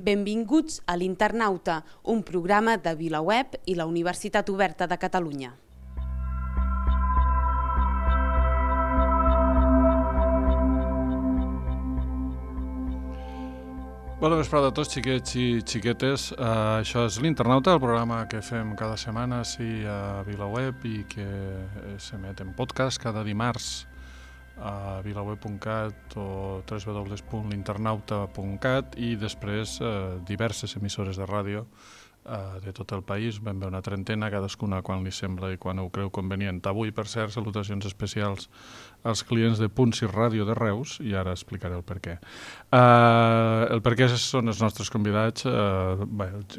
Benvinguts a l'Internauta, un programa de VilaWeb i la Universitat Oberta de Catalunya. Bona vesprada a tots, xiquets i xiquetes. Això és l'Internauta, el programa que fem cada setmana a VilaWeb i que s'emet en podcast cada dimarts a vilaweb.cat o www.l'internauta.cat i després diverses emissores de ràdio de tot el país, ben bé una trentena, cadascuna quan li sembla i quan ho creu convenient. Avui, per cert, salutacions especials als clients de Punts i Ràdio de Reus, i ara explicaré el per què. El per què són els nostres convidats,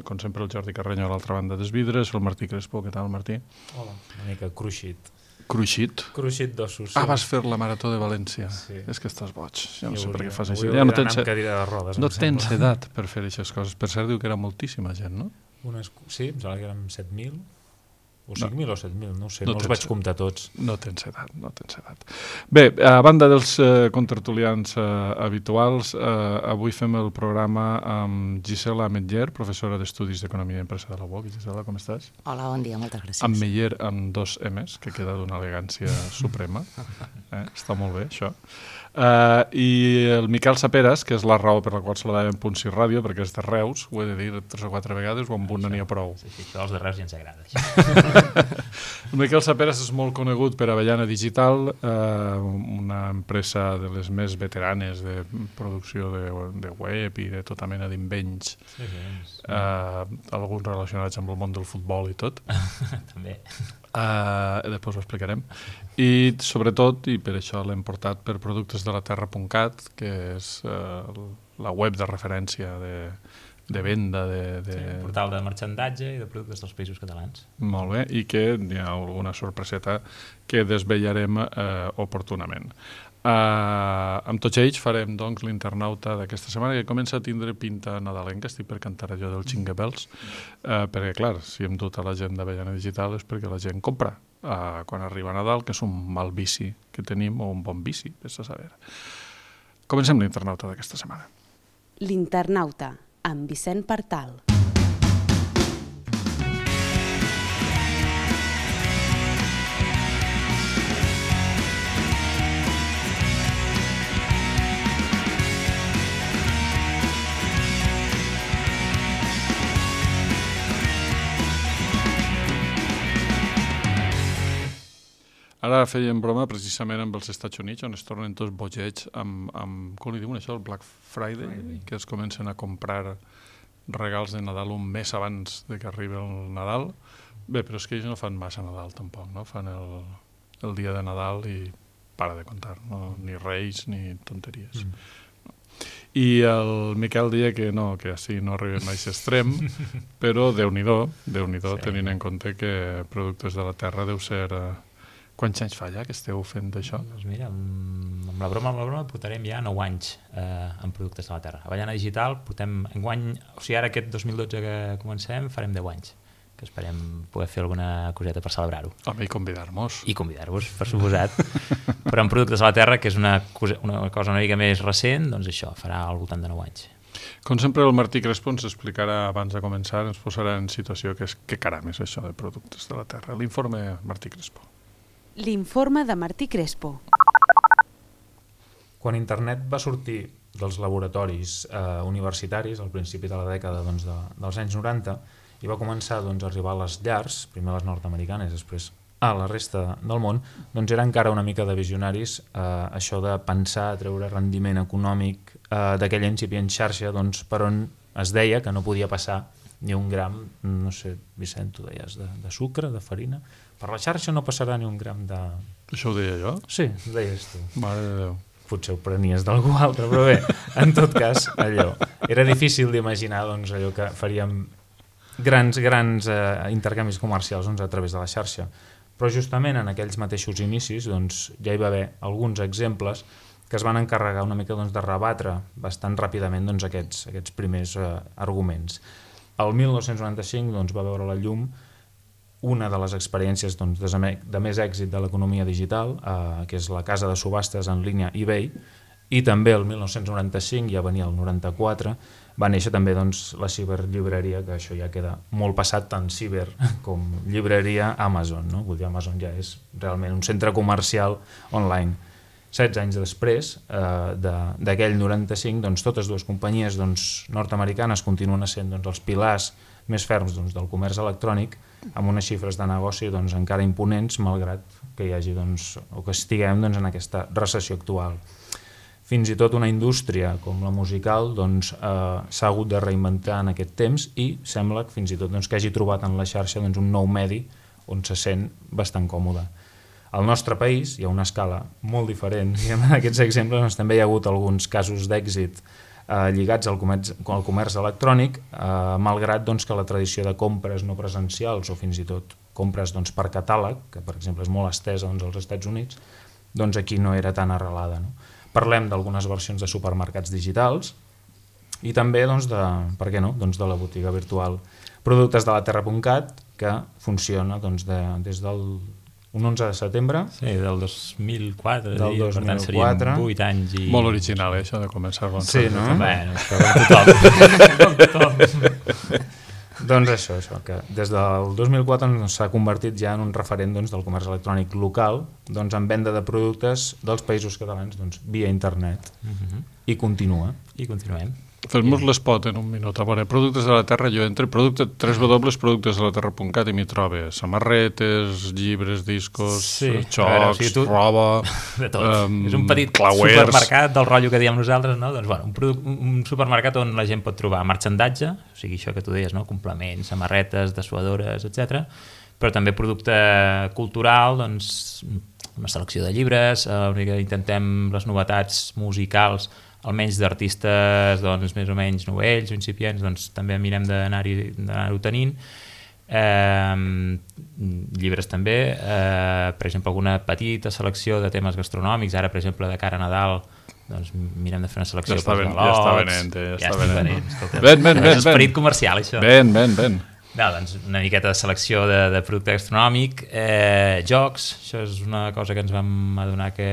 com sempre el Jordi Carreño a l'altra banda dels vidres, el Martí Crespo. Què tal, Martí? Hola, una mica cruixit. Cruixit? Cruixit d'ossos. Ah, vas fer la Marató de València. Sí. És que estàs boig. Jo no sé per què fas això. Ja no tens rodes, edat per fer aquestes coses. Per cert, diu que era moltíssima gent, no? Sí, em sembla que érem 7.000. O 5.000 o 7.000, no ho sé, no els tens vaig comptar tots. No tens edat. Bé, a banda dels contertulians habituals, avui fem el programa amb Gisela Ametller, professora d'Estudis d'Economia i Empresa de la UOC. Gisela, com estàs? Hola, bon dia, moltes gràcies. Ametller amb 2 M's, que queda d'una elegància suprema. Està molt bé, això. I el Miquel Saperas, que és la raó per la qual se la deien Punts i Ràdio, perquè és de Reus, ho he de dir 3 o 4 vegades, o amb un n'hi ha prou. Sí, això dels de Reus ja ens agrada. El Miquel Saperas és molt conegut per Avellana Digital, una empresa de les més veteranes de producció de web i de tota mena d'invenys, alguns relacionats amb el món del futbol i tot. També. Després ho explicarem. I sobretot, i per això l'hem portat per productesdelaterra.cat, que és la web de referència de venda un portal de marxandatge i de productes dels països catalans. Molt bé, i que hi ha alguna sorpreseta que desvetllarem oportunament. Amb tots ells farem doncs l'Internauta d'aquesta setmana, que comença a tindre pinta nadalenca. Estic per cantar allò del Jingle Bells, perquè clar, si hem dut a la gent d'Avellana Digital és perquè la gent compra quan arriba Nadal, que és un mal vici que tenim, o un bon vici, vés a saber. Comencem l'Internauta d'aquesta setmana. L'Internauta, amb Vicent Partal. Ara fèiem broma precisament amb els Estats Units, on es tornen tots bogets amb com li diuen això, el Black Friday, que es comencen a comprar regals de Nadal un mes abans de que arribi el Nadal. Bé, però és que ells no fan massa Nadal tampoc, no? Fan el dia de Nadal i para de comptar, no? Ni reis ni tonteries. I el Miquel deia que no, que així no arribem a aquest extrem, però Déu-n'hi-do, tenint en compte que Productes de la Terra deu ser... Quants anys fa ja que esteu fent això? Doncs mira, amb la broma portarem ja 9 anys en Productes de la Terra. Avellana Digital portem enguany, o sigui ara aquest 2012 que comencem farem 10 anys, que esperem poder fer alguna coseta per celebrar-ho. Home, i convidar-nos. I convidar-vos, per suposat. Però en Productes de la Terra, que és una cosa una mica més recent, doncs això, farà al voltant de 9 anys. Com sempre, el Martí Crespo ens explicarà abans de començar, ens posarà en situació que caram és això de Productes de la Terra. L'informe Martí Crespo. L'informe de Martí Crespo. Quan internet va sortir dels laboratoris universitaris al principi de la dècada dels anys 90 i va començar a arribar a les llars, primer a les nord-americanes, després a la resta del món, doncs era encara una mica de visionaris això de pensar a treure rendiment econòmic d'aquella incipient xarxa per on es deia que no podia passar ni un gram, no sé, Vicent, tu deies, de sucre, de farina. Per la xarxa no passarà ni un gram de... Això ho deia jo? Sí, ho deies tu. Mare de Déu. Potser ho prenies d'algú altre, però bé, en tot cas, allò. Era difícil d'imaginar allò que faríem grans intercanvis comercials a través de la xarxa. Però justament en aquells mateixos inicis ja hi va haver alguns exemples que es van encarregar una mica de rebatre bastant ràpidament aquests primers arguments. El 1995 va veure la llum una de les experiències de més èxit de l'economia digital, que és la casa de subhastes en línia eBay, i també el 1995, ja venia el 94, va néixer també doncs, la ciberllibreria, que això ja queda molt passat, tant ciber com llibreria Amazon, no? Vull dir, Amazon ja és realment un centre comercial online. 16 anys després d'aquell 95, doncs, totes dues companyies doncs, nord-americanes continuen sent doncs, els pilars més ferms doncs, del comerç electrònic, amb unes xifres de negoci doncs, encara imponents, malgrat que hi hagi doncs, o que estiguem doncs, en aquesta recessió actual. Fins i tot una indústria com la musical doncs, s'ha hagut de reinventar en aquest temps i sembla que fins i tot doncs, que hagi trobat en la xarxa doncs, un nou medi on se sent bastant còmode. Al nostre país hi ha una escala molt diferent i en aquests exemples doncs, també hi ha hagut alguns casos d'èxit lligats al comerç electrònic, malgrat doncs, que la tradició de compres no presencials o fins i tot compres doncs, per catàleg, que per exemple és molt estesa doncs, als Estats Units, doncs aquí no era tan arrelada. No? Parlem d'algunes versions de supermercats digitals i també doncs, per què no? Doncs de la botiga virtual. Productes de la Terra.cat, que funciona doncs, des del un 11 de setembre. Sí, del 2004. Del 2004. Per tant, serien 8 anys. Molt original, això de començar a Sí, no? Bueno, com tothom. Doncs això, que des del 2004 s'ha convertit ja en un referent doncs, del comerç electrònic local doncs, en venda de productes dels països catalans doncs, via internet. I continua. I continuem. Fes-nos l'espot en un minut. A veure, productes de la Terra, jo entre www.productesdelaterra.cat i m'hi trobe samarretes, llibres, discos, xocs, roba... De tot. És un petit clauers. Supermercat del rotllo que diem nosaltres, no? Doncs, bueno, un supermercat on la gent pot trobar marxandatge, o sigui, això que tu deies, no? Complements, samarretes, dessuadores, etc. Però també producte cultural, doncs, una selecció de llibres, intentem les novetats musicals, almenys d'artistes doncs, més o menys novells o incipients, doncs també mirem d'anar-ho tenint. Llibres també, per exemple, alguna petita selecció de temes gastronòmics, ara, per exemple, de cara a Nadal, doncs mirem de fer una selecció ja galots. Ja està venent. Ben. És esperit comercial, això. Ben. No, doncs una miqueta de selecció de producte gastronòmic, jocs, això és una cosa que ens vam adonar que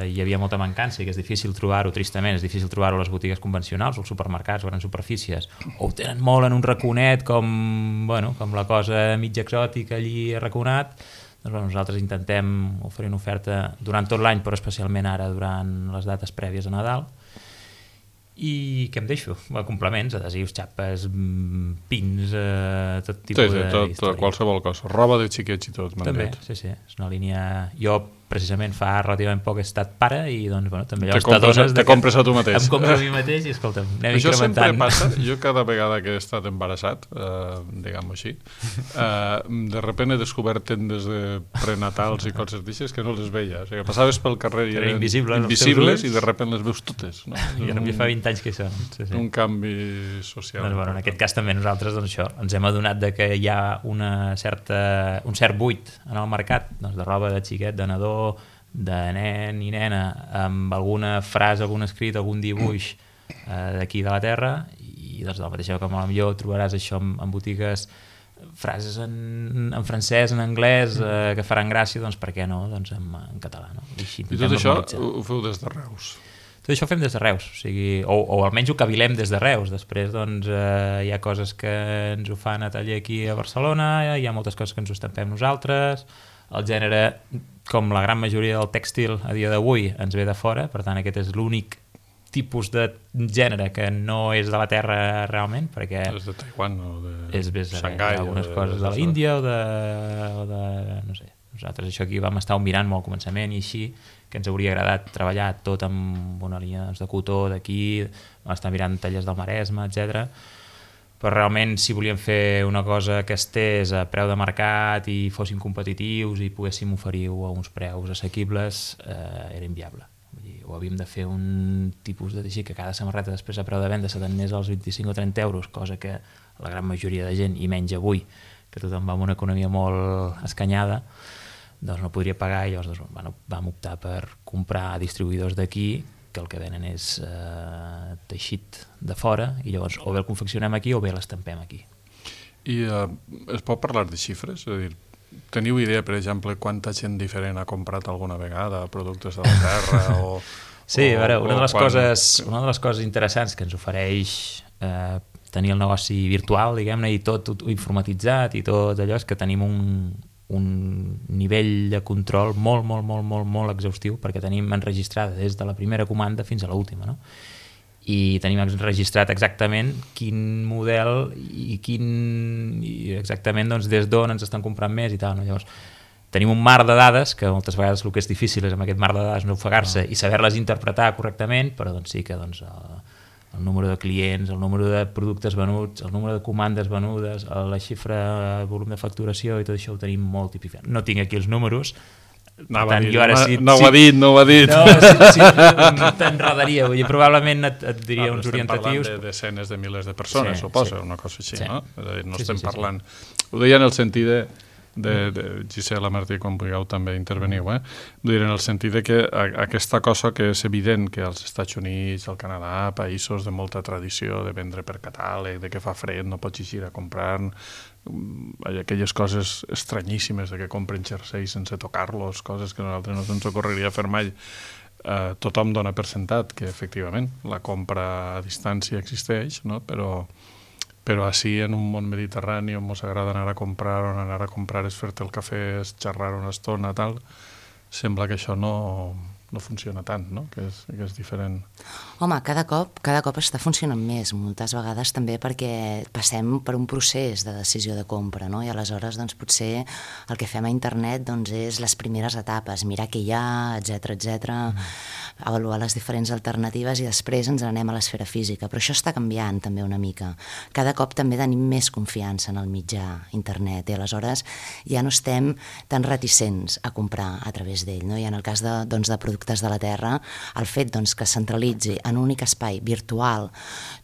hi havia molta mancança i que és difícil trobar-ho, tristament, és difícil trobar-ho a les botigues convencionals, als supermercats o grans superfícies, o ho tenen molt en un raconet com la cosa mig exòtica allí arraconat. Doncs nosaltres intentem oferir una oferta durant tot l'any, però especialment ara durant les dates prèvies a Nadal. I què em deixo? Complements, adhesius, xapes, pins, tot tipus de història. Qualsevol cosa, roba de xiquets i tot. També, sí, és una línia... Jo precisament fa relativament poc he estat pare i doncs, també allò te compres a tu mateix. Em compro a mi mateix i escolta'm, anem això incrementant. Sempre passa, jo cada vegada que he estat embarassat, diguem-ho així, de repente he descobert tendes de prenatals i coses d'aixes que no les veia. O sigui, passaves pel carrer i eren invisibles i de repente les veus totes. No? I ara fa 20 anys que hi són. Sí. Un canvi social. Doncs, en aquest cas també nosaltres doncs, ens hem adonat de que hi ha un cert buit en el mercat doncs, de roba de xiquet, de nadó, de nen i nena, amb alguna frase, algun escrit, algun dibuix d'aquí de la Terra, i doncs, de la mateixa que potser trobaràs això en botigues, frases en francès, en anglès, que faran gràcia, doncs per què no, doncs en català. No? I tot això ho feu des de Reus? Tot això ho fem des de Reus, o sigui, o almenys ho cavilem des de Reus. Després doncs, hi ha coses que ens ho fan a taller aquí a Barcelona, hi ha moltes coses que ens ho estampem nosaltres, el gènere, com la gran majoria del tèxtil a dia d'avui, ens ve de fora, per tant aquest és l'únic tipus de gènere que no és de la Terra realment, perquè és de Taiwan o de Xangai, algunes coses de l'Índia o de no sé. Nosaltres això aquí vam estar mirant molt al començament i així, que ens hauria agradat treballar tot amb una línia de cotó d'aquí, vam estar mirant tallers del Maresme, etc. Però realment si volíem fer una cosa que estés a preu de mercat i fóssim competitius i poguéssim oferir-ho a uns preus assequibles, era inviable. Vull dir, ho havíem de fer un tipus de teixit que cada samarreta després a preu de venda se t'anés als 25 o 30 euros, cosa que la gran majoria de gent, i menys avui, que tothom va amb una economia molt escanyada, doncs no podria pagar, i llavors vam optar per comprar distribuïdors d'aquí que el que venen és teixit de fora i llavors o bé el confeccionem aquí o bé l'estampem aquí. I es pot parlar de xifres? És a dir, teniu idea, per exemple, quanta gent diferent ha comprat alguna vegada productes de la Terra Sí, a veure, una de les coses interessants que ens ofereix tenir el negoci virtual, diguem-ne, i tot informatitzat i tot allò, és que tenim un nivell de control molt exhaustiu, perquè tenim enregistrada des de la primera comanda fins a l'última, no? I tenim enregistrat exactament quin model i exactament doncs, des d'on ens estan comprant més i tal, no? Llavors, tenim un mar de dades, que moltes vegades el que és difícil és amb aquest mar de dades no ofegar-se i saber-les interpretar correctament, però doncs sí que doncs, el número de clients, el número de productes venuts, el número de comandes venudes, la xifra, el volum de facturació i tot això ho tenim molt tipificat. No tinc aquí els números, no ho ha dit. No, t'enredaria, probablement et diria uns orientatius. Estem parlant de desenes de milers de persones, suposa, una cosa així, no? És a dir, no estem parlant... Ho deia en el sentit de Gisela, Martí, quan vulgueu també interveniu, en el sentit de que aquesta cosa que és evident que als Estats Units, al Canadà, països de molta tradició de vendre per catàleg, de que fa fred, no pots eixir a comprar, aquelles coses estranyíssimes de que compren jerseis sense tocar-los, coses que a nosaltres no ens ocorreria fer mai, tothom dona per sentat que efectivament la compra a distància existeix, no? Però així en un món mediterrani on ens agrada anar a comprar és fer-te el cafè, és xerrar una estona, tal, sembla que això no funciona tant, no? Que és diferent. Home, cada cop està funcionant més, moltes vegades també perquè passem per un procés de decisió de compra, no? I aleshores doncs, potser el que fem a internet doncs, és les primeres etapes, mirar què hi ha, etc, avaluar les diferents alternatives i després ens anem a l'esfera física, però això està canviant també una mica. Cada cop també tenim més confiança en el mitjà internet i aleshores ja no estem tan reticents a comprar a través d'ell, no? I en el cas de productes de la Terra, el fet doncs, que centralitzi en un únic espai virtual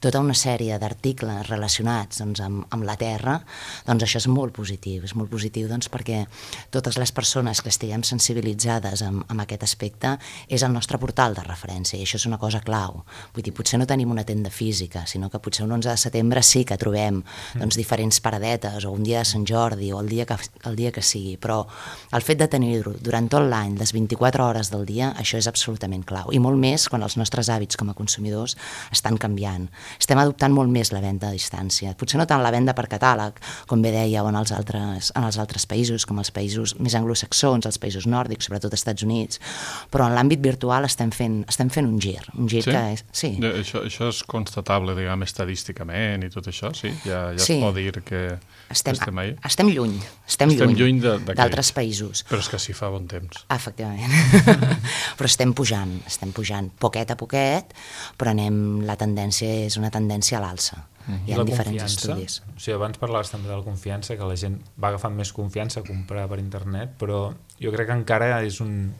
tota una sèrie d'articles relacionats doncs, amb la Terra, doncs això és molt positiu. És molt positiu doncs, perquè totes les persones que estiguem sensibilitzades amb aquest aspecte és el nostre portal de referència i això és una cosa clau. Vull dir, potser no tenim una tenda física, sinó que potser un 11 de setembre sí que trobem doncs, diferents paradetes o un dia de Sant Jordi o el dia que sigui, però el fet de tenir-ho durant tot l'any, les 24 hores del dia, això és absolutament clau. I molt més quan els nostres hàbits com a consumidors estan canviant. Estem adoptant molt més la venda a distància. Potser no tant la venda per catàleg, com bé dèieu en els altres països, com els països més anglosaxons, els països nòrdics, sobretot als Estats Units, però en l'àmbit virtual estem fent un gir sí? Que és... Sí. Això és constatable, diguem, estadísticament i tot això, sí? Ja sí. Es pot dir que estem ahí? Estem lluny d'altres països. Però és que sí fa bon temps. Efectivament. Però estem pujant poquet a poquet, però la tendència és una tendència a l'alça. Hi ha diferents estudis. O sigui, abans parlaves també de la confiança, que la gent va agafant més confiança a comprar per internet, però jo crec que encara és un...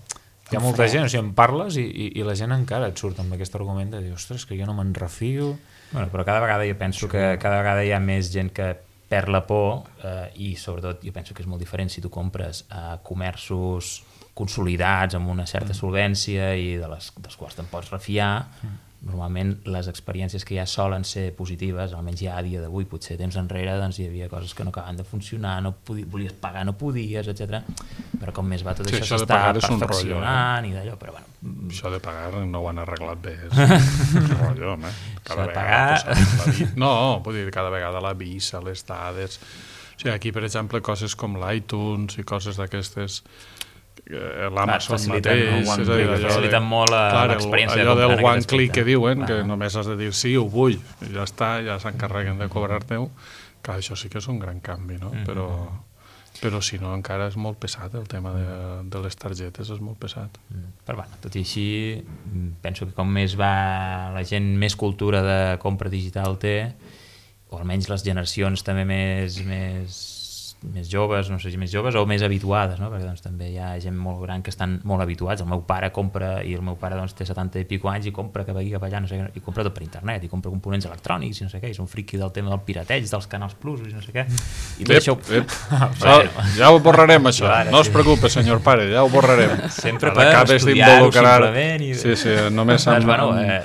Hi ha molta gent, o sigui, en parles i la gent encara et surt amb aquest argument de dir, ostres, que jo no me'n refio. Bueno, però cada vegada jo penso que cada vegada hi ha més gent que perd la por i sobretot jo penso que és molt diferent si tu compres a comerços consolidats amb una certa solvència i dels quals te'n pots refiar. Normalment les experiències que ja solen ser positives, almenys ja a dia d'avui, potser temps enrere doncs hi havia coses que no acaben de funcionar, volies pagar, no podies, etc. Però com més va tot això s'està perfeccionant i d'allò, però bueno... Això de pagar no ho han arreglat bé, és un rotllo, home. Cada vegada... No, vull dir, cada vegada la Visa, les dades... O sigui, aquí, per exemple, coses com l'iTunes i coses d'aquestes... l'Amazon mateix, és a dir, faciliten molt l'experiència allò del one click que diuen, que només has de dir sí, ho vull, i ja està, ja s'encarreguen de cobrar-te-ho, que això sí que és un gran canvi, no? Però si no encara és molt pesat el tema de les targetes, és molt pesat. Però bueno, tot i així penso que com més va la gent més cultura de compra digital té, o almenys les generacions també més joves, no sé si més joves o més habituades, no? Perquè doncs, també hi ha gent molt gran que estan molt habituats. El meu pare compra, i el meu pare doncs, té 70 i pico anys i compra cap aquí, cap allà, no sé què, i compra tot per internet, i compra components electrònics i no sé què, i és un friqui del tema del pirateig, dels canals plus i no sé què. I tot això... Ja ho borrarem, això. No es preocupe, senyor pare, ja ho borrarem. Sempre per estudiar-ho simplement. Sí, només amb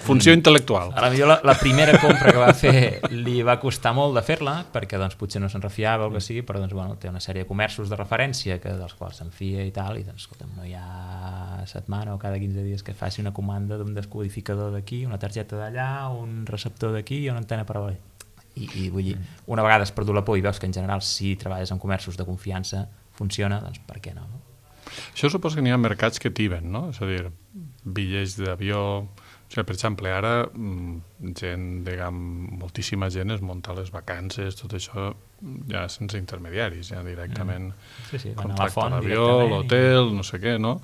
funció intel·lectual. A la millor la primera compra que va fer li va costar molt de fer-la, perquè doncs, potser no se'n refiava o el que sigui, però doncs, bueno, té una sèrie de comerços de referència dels quals s'enfia i tal, i doncs, escolta'm, no hi ha setmana o cada 15 dies que faci una comanda d'un descodificador d'aquí, una targeta d'allà, un receptor d'aquí i una antena parabòlica. I vull dir, una vegada has perdut la por i veus que en general si treballes en comerços de confiança funciona, doncs per què no? Això suposa que n'hi ha mercats que tiben, no? És a dir, bitllets d'avió... O sigui, per exemple, ara gent, diguem, moltíssima gent es munta les vacances, tot això ja sense intermediaris, ja directament contracta l'avió, l'hotel, no sé què, no?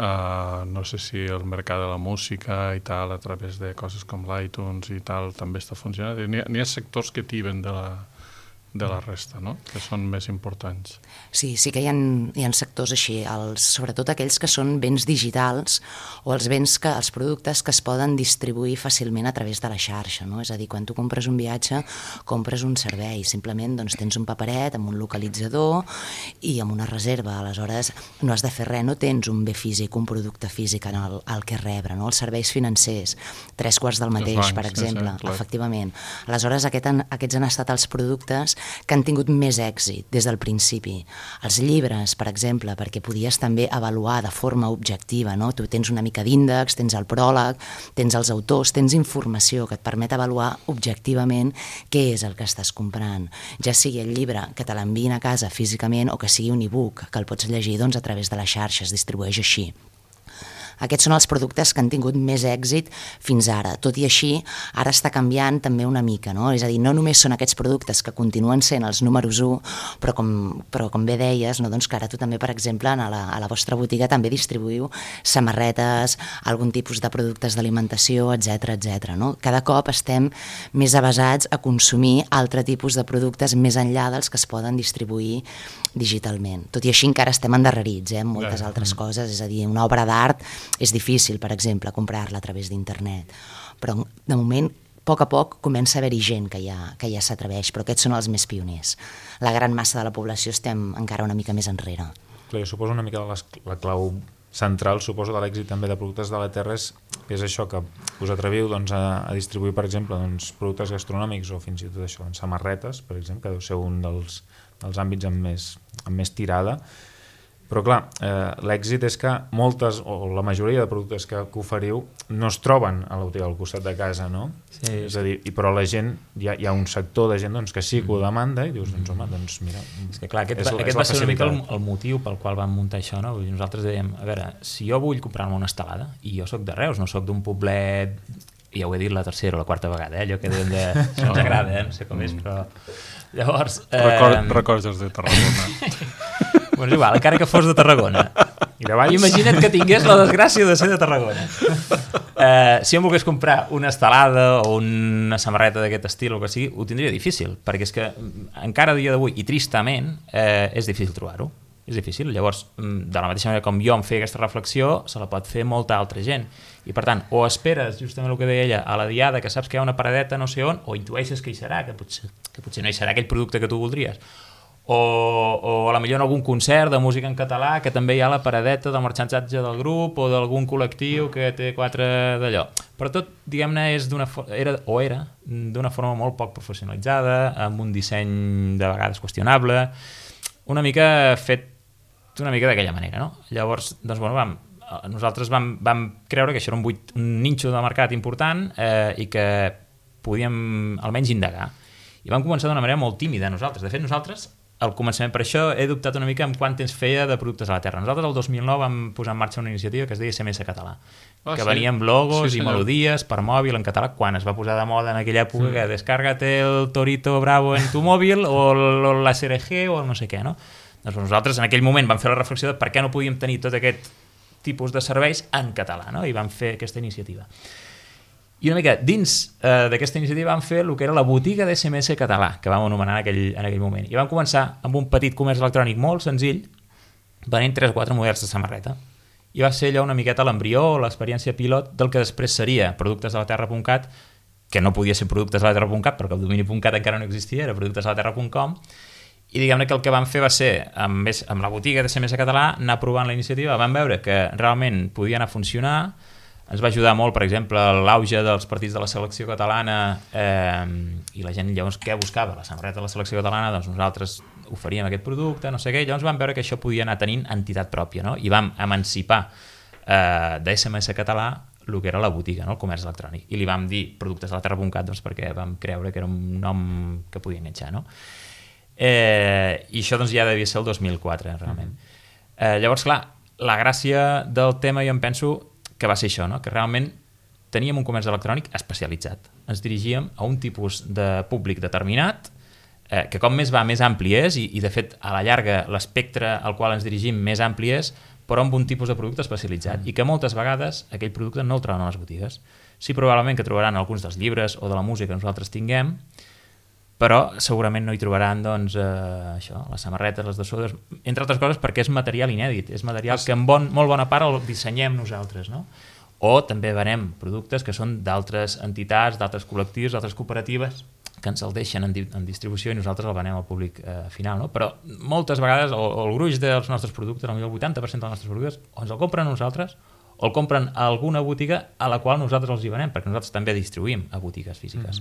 No sé si el mercat de la música i tal, a través de coses com l'iTunes i tal, també està funcionant. N'hi ha sectors que tiben de la resta, no? Que són més importants. Sí que hi ha sectors així, sobretot aquells que són béns digitals o els productes que es poden distribuir fàcilment a través de la xarxa, no? És a dir, quan tu compres un viatge, compres un servei, simplement doncs, tens un paperet amb un localitzador i amb una reserva, aleshores no has de fer res, no tens un bé físic, un producte físic al que rebre, no? Els serveis financers, 3/4 del mateix, bancs, per exemple, efectivament. Aleshores, aquests han estat els productes que han tingut més èxit des del principi. Els llibres, per exemple, perquè podies també avaluar de forma objectiva, no? Tu tens una mica d'índex, tens el pròleg, tens els autors, tens informació que et permet avaluar objectivament què és el que estàs comprant. Ja sigui el llibre que te l'enviïn a casa físicament o que sigui un e-book que el pots llegir doncs, a través de la xarxa, es distribueix així. Aquests són els productes que han tingut més èxit fins ara. Tot i així, ara està canviant també una mica, no? És a dir, no només són aquests productes que continuen sent els números 1, però com bé deies, no? Doncs que ara tu també, per exemple, a la vostra botiga també distribuïu samarretes, algun tipus de productes d'alimentació, etc. No? Cada cop estem més avesats a consumir altre tipus de productes més enllà dels que es poden distribuir digitalment. Tot i així encara estem endarrerits en moltes altres coses, és a dir, una obra d'art és difícil, per exemple, comprar-la a través d'internet, però de moment a poc comença a haver-hi gent que ja s'atreveix, però aquests són els més pioners. La gran massa de la població estem encara una mica més enrere. Clar, jo suposo una mica la clau central, suposo, de l'èxit també de productes de la terra és això, que us atreviu doncs, a distribuir, per exemple, doncs, productes gastronòmics o fins i tot això, doncs, samarretes, per exemple, que deu ser un dels àmbits amb més tirada. Però clar, l'èxit és que moltes o la majoria de productes que oferiu no es troben a la botiga al costat de casa, no? Sí. És a dir, però la gent, hi ha un sector de gent doncs, que sí que ho demanda i dius, doncs home, doncs mira... És que clar, aquest va ser una mica el motiu pel qual vam muntar això, no? Nosaltres dèiem, a veure, si jo vull comprar-me una estelada, i jo soc de Reus, no soc d'un poblet, ja ho he dit la tercera o la quarta vegada, allò que deien de... No ens agrada, no sé com és, però... Llavors... Records de Tarragona. Bueno, és igual, encara que fos de Tarragona. Imagina't que tingués la desgràcia de ser de Tarragona. Si em volgués comprar una estelada o una samarreta d'aquest estil o que sigui, ho tindria difícil, perquè és que encara a dia d'avui, i tristament, és difícil trobar-ho. És difícil. Llavors, de la mateixa manera com jo em feia aquesta reflexió, se la pot fer molta altra gent. I per tant, o esperes, justament el que deia ella, a la diada, que saps que hi ha una paradeta no sé on, o intueixes que hi serà, que potser no hi serà aquell producte que tu voldries. O a la millor en algun concert de música en català que també hi ha la paradeta del marxantatge del grup o d'algun col·lectiu que té 4 d'allò. Però tot, diguem-ne, era d'una forma molt poc professionalitzada, amb un disseny de vegades qüestionable, una mica fet d'una mica d'aquella manera, no? Llavors, doncs, bueno, nosaltres vam creure que això era un nínxol de mercat important i que podíem almenys indagar. I vam començar d'una manera molt tímida nosaltres. De fet, nosaltres, al començament, per això he dubtat una mica en quant temps feia de productes a la terra. Nosaltres el 2009 vam posar en marxa una iniciativa que es deia SMS Català, que venia amb logos i melodies per mòbil en català, quan es va posar de moda en aquella època que descárgate el Torito Bravo en tu mòbil o la SRG o no sé què, no? Doncs nosaltres en aquell moment vam fer la reflexió de per què no podíem tenir tot aquest tipus de serveis en català, no? I vam fer aquesta iniciativa. I una mica dins d'aquesta iniciativa vam fer el que era la botiga d'SMS Català, que vam anomenar en aquell moment. I vam començar amb un petit comerç electrònic molt senzill, venent 3 o 4 models de samarreta. I va ser allò una miqueta l'embrió, l'experiència pilot del que després seria productesdelaterra.cat, que no podia ser productesdelaterra.cat perquè el domini.cat encara no existia, era productesdelaterra.com. I diguem-ne que el que vam fer va ser, amb la botiga d'SMS Català, anar provant la iniciativa, vam veure que realment podia anar a funcionar. Ens va ajudar molt, per exemple, l'auge dels partits de la selecció catalana i la gent llavors què buscava? La samarreta de la selecció catalana, doncs nosaltres oferíem aquest producte, no sé què, llavors vam veure que això podia anar tenint entitat pròpia, no? I vam emancipar de SMS Català el que era la botiga, no? El comerç electrònic, i li vam dir productes de la Terra.cat, doncs, perquè vam creure que era un nom que podia enganxar, no? I això doncs, ja devia ser el 2004, realment. Llavors, clar, la gràcia del tema jo em penso que va ser això, no? Que realment teníem un comerç electrònic especialitzat. Ens dirigíem a un tipus de públic determinat, que com més va, més ampli és, i de fet, a la llarga, l'espectre al qual ens dirigim més ampli és, però amb un tipus de producte especialitzat, i que moltes vegades aquell producte no el troben a les botigues. Sí, probablement que trobaran alguns dels llibres o de la música que nosaltres tinguem, però segurament no hi trobaran doncs, això, les samarretes, les dessuadores, entre altres coses perquè és material inèdit, és material que en molt bona part el dissenyem nosaltres, no? O també venem productes que són d'altres entitats, d'altres col·lectius, d'altres cooperatives, que ens el deixen en distribució i nosaltres el venem al públic final, no? Però moltes vegades el gruix dels nostres productes, potser el 80% dels nostres productes, o ens el compren nosaltres o el compren a alguna botiga a la qual nosaltres els hi venem, perquè nosaltres també distribuïm a botigues físiques.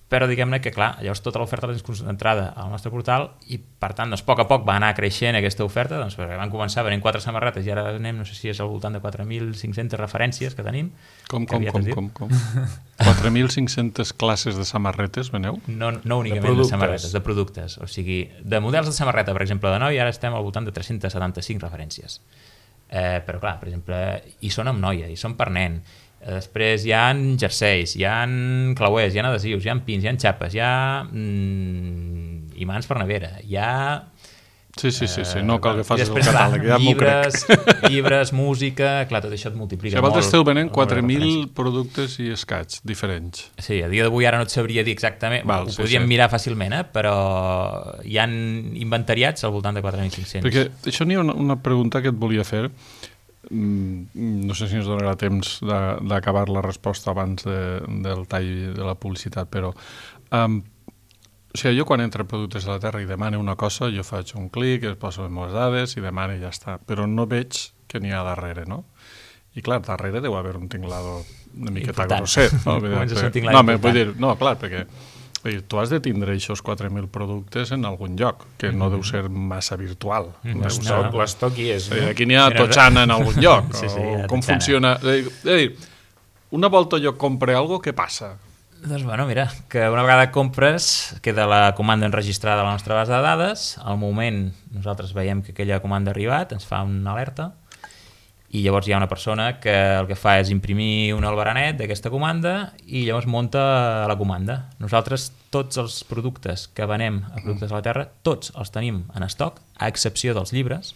Però diguem-ne que, clar, llavors tota l'oferta és concentrada al nostre portal i, per tant, doncs, a poc va anar creixent aquesta oferta, doncs, perquè van començar venent 4 samarretes i ara anem, no sé si és al voltant de 4.500 referències que tenim. Com? 4.500 classes de samarretes veneu? No únicament de samarretes, de productes. O sigui, de models de samarreta, per exemple, de noi, ara estem al voltant de 375 referències. Però, clar, per exemple, hi són amb noia, hi són per nen. Després hi ha jerseis, hi ha clauers, hi ha adhesius, hi ha pins, hi ha xapes, hi ha imants per nevera, hi ha... Sí, no cal que facis el catàleg, ja m'ho crec. Llibres, música, clar, tot això et multiplica molt. Vosaltres esteu venent 4.000 productes i escaig diferents. Sí, a dia d'avui ara no et sabria dir exactament, ho podríem mirar fàcilment, però hi han inventariats al voltant de 4.500. Perquè això n'hi ha una pregunta que et volia fer, no sé si ens donarà temps d'acabar la resposta abans del tall de la publicitat, però o sigui, jo quan entro a Productes de la Terra i demano una cosa, jo faig un clic, es poso les meves dades i demano i ja està, però no veig què n'hi ha darrere, no? I clar, darrere deu haver un tinglado una miqueta grosset, no? No, clar, perquè tu has de tindre aquests 4.000 productes en algun lloc, que no deu ser massa virtual. L'estoc hi és. Aquí n'hi ha totxana en algun lloc. Com funciona? És a dir, una volta jo compre alguna cosa, què passa? Doncs bueno, mira, que una vegada compres queda la comanda enregistrada a la nostra base de dades, al moment nosaltres veiem que aquella comanda ha arribat, ens fa una alerta, i llavors hi ha una persona que el que fa és imprimir un albaranet d'aquesta comanda i llavors munta la comanda. Nosaltres tots els productes que venem a Productes de la Terra, tots els tenim en estoc, a excepció dels llibres,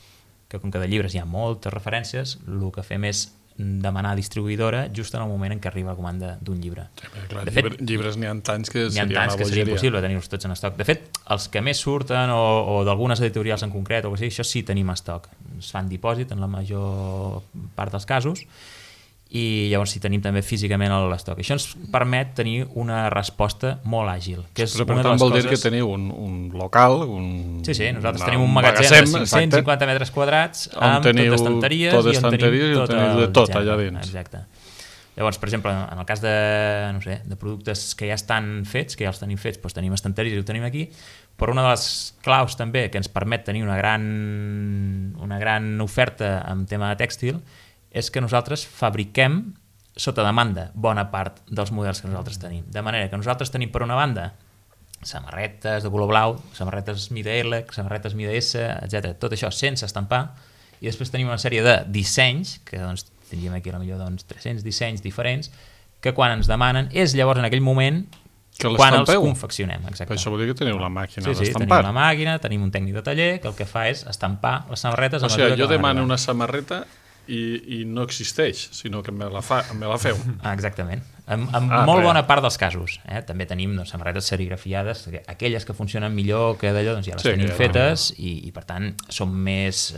que com que de llibres hi ha moltes referències, el que fem és demanar a distribuïdora just en el moment en què arriba la comanda d'un llibre. Sí, clar, de fet, llibres n'hi ha tants que seria impossible tenir-los tots en estoc. De fet, els que més surten o d'algunes editorials en concret, o sigui, això sí tenim estoc. Es fan dipòsit en la major part dels casos i llavors sí tenim també físicament l'estoc. Això ens permet tenir una resposta molt àgil. Que és però per tant vol dir que teniu un local, Sí, nosaltres tenim un magatzem de 550 metres quadrats amb tot d'estanteries i on tenim tot allà dins. Exacte. Llavors, per exemple, en el cas de productes que ja estan fets, que ja els tenim fets, doncs tenim estanteries i ho tenim aquí, però una de les claus també que ens permet tenir una gran oferta en tema de tèxtil és que nosaltres fabriquem sota demanda bona part dels models que nosaltres tenim. De manera que nosaltres tenim per una banda samarretes de color blau, samarretes mida L, samarretes mida S, etc. Tot això sense estampar, i després tenim una sèrie de dissenys, que doncs, tindríem aquí potser 300 dissenys diferents, que quan ens demanen és llavors en aquell moment quan els confeccionem. Exacte. Això vol dir que teniu la màquina d'estampar. Sí, tenim la màquina, tenim un tècnic de taller que el que fa és estampar les samarretes. O sigui, jo demano una samarreta i no existeix, sinó que me la feu. Exactament. En molt bona part dels casos. També tenim samarretes serigrafiades, aquelles que funcionen millor que d'allò, doncs ja les tenim fetes i per tant són més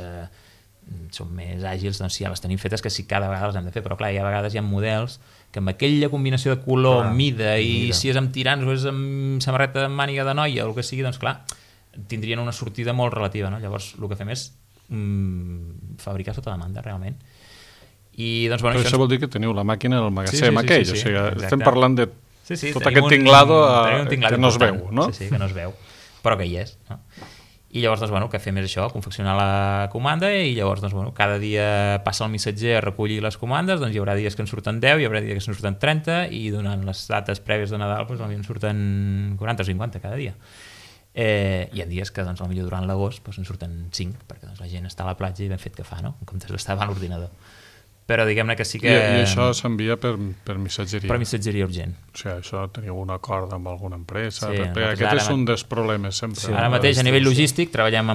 àgils si ja les tenim fetes que si cada vegada les hem de fer, però clar, hi ha vegades hi ha models que amb aquella combinació de color, mida i si és amb tirants o és amb samarreta de màniga de noia o el que sigui, doncs clar, tindrien una sortida molt relativa, no? Llavors el que fem és fabricar sota demanda realment. I doncs però això vol dir que teniu la màquina del magatzem aquell, o sigui, estem parlant de tot aquest tinglado que no es veu, no? Sí, que no es veu, però que hi és, no? I llavors, doncs, bueno, el que fem és això, confeccionar la comanda, i llavors, doncs, bueno, cada dia passa el missatger a recollir les comandes, doncs hi haurà dies que en surten 10, hi haurà dies que en surten 30, i durant les dates prèvies de Nadal doncs, en surten 40 o 50 cada dia. Hi ha dies que doncs, potser durant l'agost doncs, en surten 5, perquè doncs, la gent està a la platja i ben fet que fa, no? En comptes d'estar davant l'ordinador. Però diguem-ne que sí que... I això s'envia per missatgeria? Per missatgeria urgent. O sigui, això teniu un acord amb alguna empresa? Sí, perquè aquest és un dels problemes sempre. Sí, ara mateix, a nivell logístic, treballem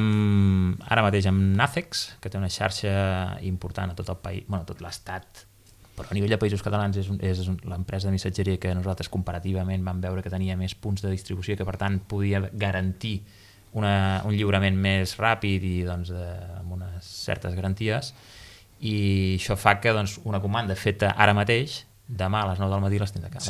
ara mateix amb Nacex, que té una xarxa important a tot el país, bueno, a tot l'estat, però a nivell de països catalans és l'empresa de missatgeria que nosaltres comparativament vam veure que tenia més punts de distribució i que per tant podia garantir un lliurament més ràpid i doncs, amb unes certes garanties, i això fa que doncs, una comanda feta ara mateix, demà a les 9 del matí les tens a casa.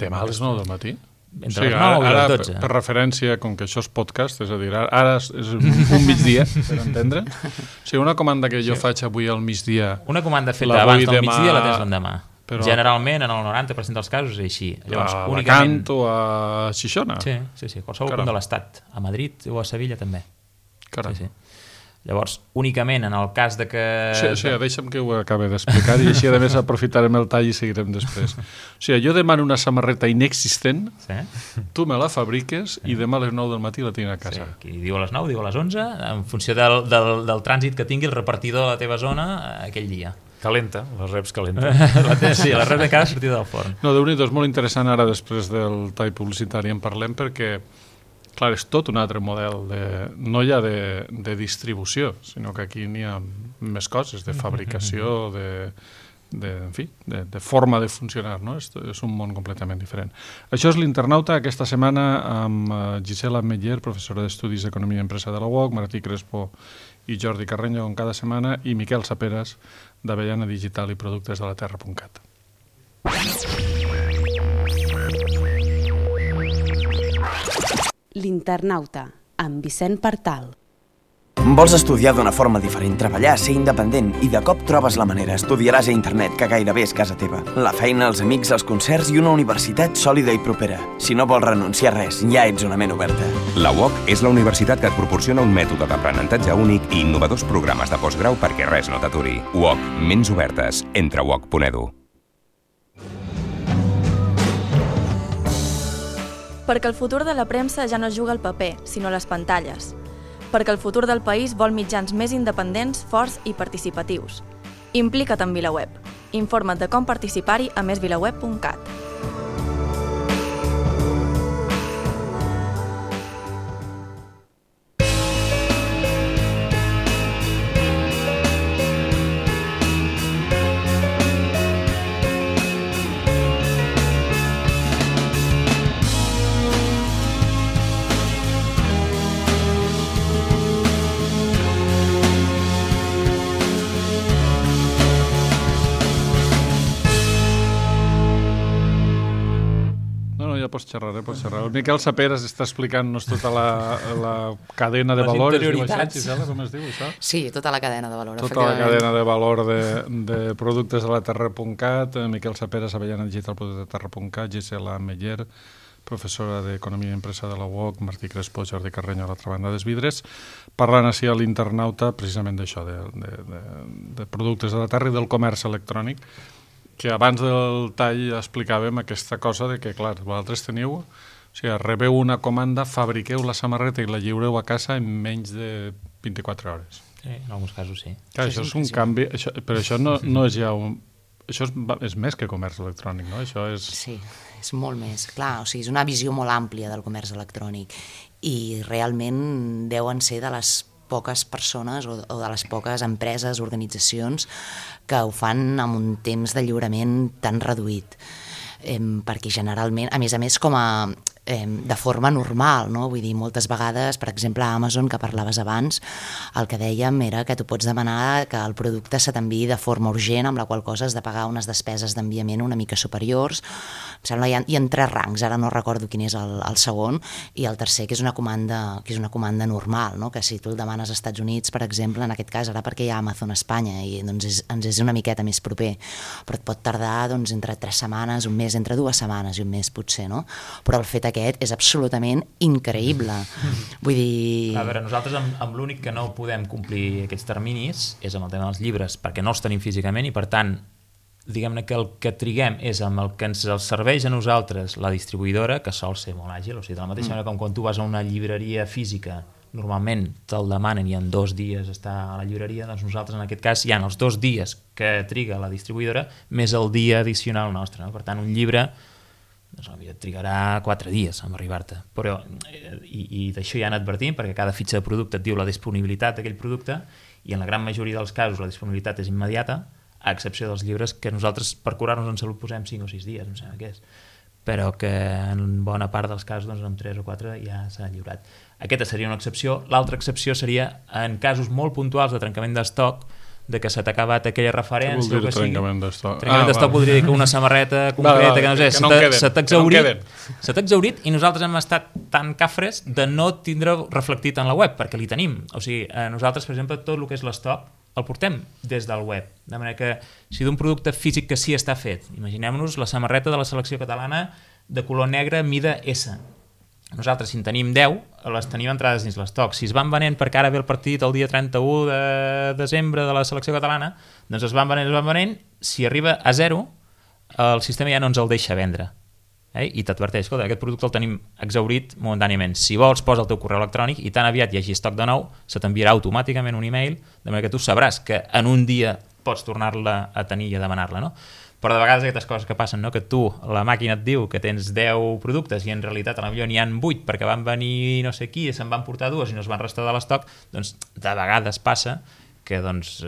Demà a les 9 del matí? Entre les 9 i les 12. Per referència, com que això és podcast, és a dir, ara és un migdia, per entendre. O sigui, una comanda que jo faig avui al migdia... Una comanda feta abans del migdia la tens l'endemà. Però... Generalment, en el 90% dels casos és així. Llavors, a únicament... Alacant o a Xixona? Sí, qualsevol punt de l'estat. A Madrid o a Sevilla també. Caram. Sí. Llavors, únicament en el cas de que... Sí, deixa'm que ho acabi d'explicar i així a més aprofitarem el tall i seguirem després. O sigui, jo demano una samarreta inexistent, tu me la fabriques i demà a les 9 del matí la tinc a casa. Sí, qui diu a les 9, diu a les 11, en funció del trànsit que tingui el repartidor a la teva zona aquell dia. Calenta, les reps calenta. Sí, la rep de cada sortida del forn. No, Déu-n'hi-do, és molt interessant ara després del tall publicitari en parlem perquè clar, és tot un altre model, no ja de distribució, sinó que aquí n'hi ha més coses, de fabricació, de forma de funcionar, no? És un món completament diferent. Això és l'Internauta, aquesta setmana amb Gisela Meller, professora d'Estudis d'Economia i Empresa de la UOC, Martí Crespo i Jordi Carreño com cada setmana, i Miquel Saperas, d'Avellana Digital i Productes de la Terra.cat. L'Internauta, amb Vicent Partal. Vols estudiar d'una forma diferent, treballar, ser independent i de cop trobes la manera, estudiaràs a internet, que gairebé és casa teva. La feina, els amics, els concerts i una universitat sòlida i propera. Si no vols renunciar a res, ja ets una ment oberta. La UOC és la universitat que et proporciona un mètode d'aprenentatge únic i innovadors programes de postgrau perquè res no t'aturi. UOC, ments obertes. Entra a uoc.edu. Perquè el futur de la premsa ja no juga al paper, sinó a les pantalles. Perquè el futur del país vol mitjans més independents, forts i participatius. Implica't en VilaWeb. Informa't de com participar-hi a mesvilaweb.cat. Pots xerrar. El Miquel Saperas està explicant-nos tota la cadena de valor. Com es diu això? Sí, tota la cadena de valor. Tota la cadena de valor de productes de la Terra.cat. Miquel Saperas, Avellana Digital, Productes de Terra.cat, Gisela Meller, professora d'Economia i Empresa de la UOC, Martí Crespo, Jordi Carreño a l'altra banda dels vidres, parlant així a l'Internauta precisament d'això, de productes de la Terra i del comerç electrònic, que abans del tall explicàvem aquesta cosa de que, clar, vosaltres teniu, o sigui, rebeu una comanda, fabriqueu la samarreta i la lliureu a casa en menys de 24 hores. Sí, en alguns casos sí. Clar, això és un canvi, però això no és ja un... Això és més que comerç electrònic, no? Això és... Sí, és molt més. Clar, o sigui, és una visió molt àmplia del comerç electrònic i realment deuen ser de les poques persones o de les poques empreses, organitzacions que ho fan amb un temps de lliurament tan reduït. Perquè generalment, a més com a de forma normal, no? Vull dir, moltes vegades, per exemple, a Amazon, que parlaves abans, el que dèiem era que tu pots demanar que el producte se t'enviï de forma urgent, amb la qual cosa has de pagar unes despeses d'enviament una mica superiors. Em sembla hi ha 3 rangs, ara no recordo quin és el segon, i el tercer, que és una comanda normal, no? Que si tu el demanes als Estats Units, per exemple, en aquest cas, ara perquè hi ha Amazon a Espanya, i doncs ens és una miqueta més proper, però et pot tardar entre 3 setmanes, un mes, entre 2 setmanes i un mes potser, no? Però el fet aquest és absolutament increïble. Vull dir... A veure, nosaltres amb l'únic que no podem complir aquests terminis és amb el tema dels llibres, perquè no els tenim físicament i, per tant, diguem-ne que el que triguem és amb el que ens serveix a nosaltres la distribuïdora, que sol ser molt àgil, o sigui, de la mateixa manera com quan tu vas a una llibreria física, normalment te'l demanen i en 2 dies està a la llibreria, doncs nosaltres en aquest cas hi ha els 2 dies que triga la distribuïdora més el dia addicional nostre, no? Per tant, un llibre doncs, et trigarà 4 dies en arribar-te, però i d'això ja han advertit, perquè cada fitxa de producte et diu la disponibilitat d'aquell producte i en la gran majoria dels casos la disponibilitat és immediata, a excepció dels llibres que nosaltres per curar-nos en salut posem 5 o 6 dies, em sembla que és, però que en bona part dels casos doncs, en 3 o 4 ja s'ha lliurat. Aquesta seria una excepció. L'altra excepció seria en casos molt puntuals de trencament d'estoc, de que s'ha acabat aquella referència. Què vol dir trencament d'estoc? Trencament d'estoc voldria dir que una samarreta concreta, que no sé, se t'ha exhaurit i nosaltres hem estat tan cafres de no tindre reflectit en la web, perquè li tenim. O sigui, nosaltres, per exemple, tot el que és l'estoc el portem des del web, de manera que si d'un producte físic que sí està fet, imaginem-nos la samarreta de la selecció catalana de color negre mida S. Nosaltres, si en tenim 10, les tenim entrades dins l'estoc. Si es van venent perquè ara ve el partit el dia 31 de desembre de la selecció catalana, doncs es van venent, si arriba a 0, el sistema ja no ens el deixa vendre. I t'adverteix, escolta, aquest producte el tenim exhaurit momentàniament. Si vols, posa el teu correu electrònic i tan aviat hi hagi estoc de nou, se t'enviarà automàticament un email, de manera que tu sabràs que en un dia pots tornar-la a tenir i a demanar-la, no? Però de vegades aquestes coses que passen, no? Que tu, la màquina et diu que tens 10 productes i en realitat a la millor n'hi ha 8 perquè van venir no sé qui i se'n van portar 2 i no es van restar de l'estoc, doncs de vegades passa que doncs,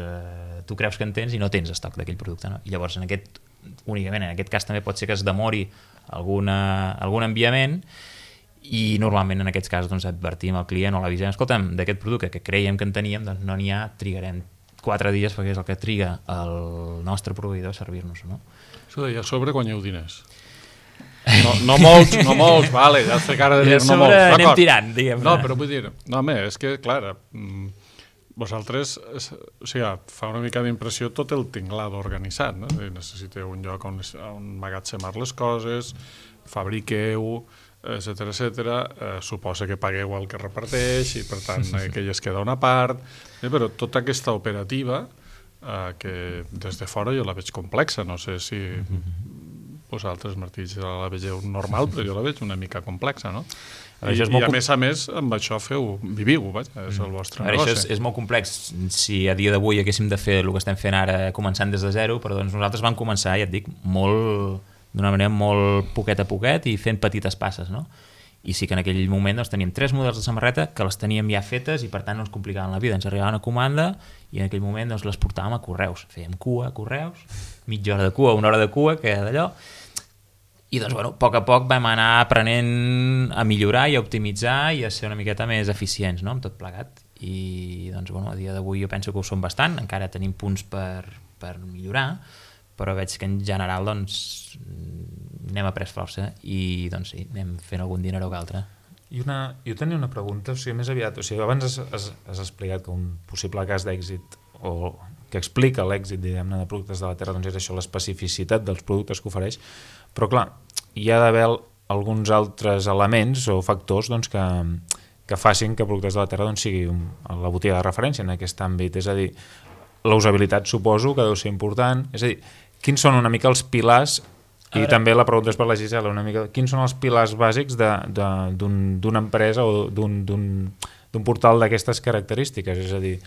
tu creus que en tens i no tens estoc d'aquell producte, no? I llavors únicament en aquest cas també pot ser que es demori algun enviament i normalment en aquests casos doncs, advertim al client o l'avisem, escolta'm, d'aquest producte que creiem que en teníem, doncs no n'hi ha, trigarem 4 dies perquè és el que triga el nostre proveïdor a servir-nos, no? Escolta, i a sobre guanyeu diners? No molts, vale, ja sé cara de dir no molts. I a sobre anem tirant, diguem-ne. No, però vull dir, no, home, és que, clar, vosaltres, o sigui, fa una mica d'impressió tot el tinglado organitzat, no? Necessiteu un lloc on emmagatzemar les coses, fabriqueu, etc. Suposa que pagueu el que reparteix i, per tant, que ja es queda una part, però tota aquesta operativa, que des de fora jo la veig complexa, no sé si vosaltres, Martí, la vegeu normal, però jo la veig una mica complexa, no? I a més, amb això viviu, és el vostre negoci. Això és molt complex. Si a dia d'avui haguéssim de fer el que estem fent ara, començant des de zero, però doncs nosaltres vam començar, ja et dic, d'una manera molt poquet a poquet i fent petites passes, no? I sí que en aquell moment doncs, teníem 3 models de samarreta que les teníem ja fetes i per tant no ens complicaven la vida. Ens arribava una comanda i en aquell moment doncs, les portàvem a correus. Fèiem cua a correus, mitja hora de cua, 1 hora de cua, que d'allò. I doncs, bueno, a poc vam anar aprenent a millorar i a optimitzar i a ser una miqueta més eficients, no?, amb tot plegat. I doncs, bueno, a dia d'avui jo penso que ho som bastant, encara tenim punts per millorar, però veig que en general, doncs, n'hem après força i, doncs sí, anem fent algun dineró que altre. Jo tenia una pregunta, o sigui, més aviat, o sigui, abans has explicat que un possible cas d'èxit o que explica l'èxit, diguem-ne, de productes de la terra, doncs és això, l'especificitat dels productes que ofereix, però clar, hi ha d'haver alguns altres elements o factors doncs, que facin que Productes de la Terra doncs, sigui la botiga de referència en aquest àmbit, és a dir, la usabilitat suposo que deu ser important, és a dir, quins són una mica els pilars, i també la pregunta és per la Gisela, una mica, quins són els pilars bàsics d'una empresa o d'un portal d'aquestes característiques, és a dir,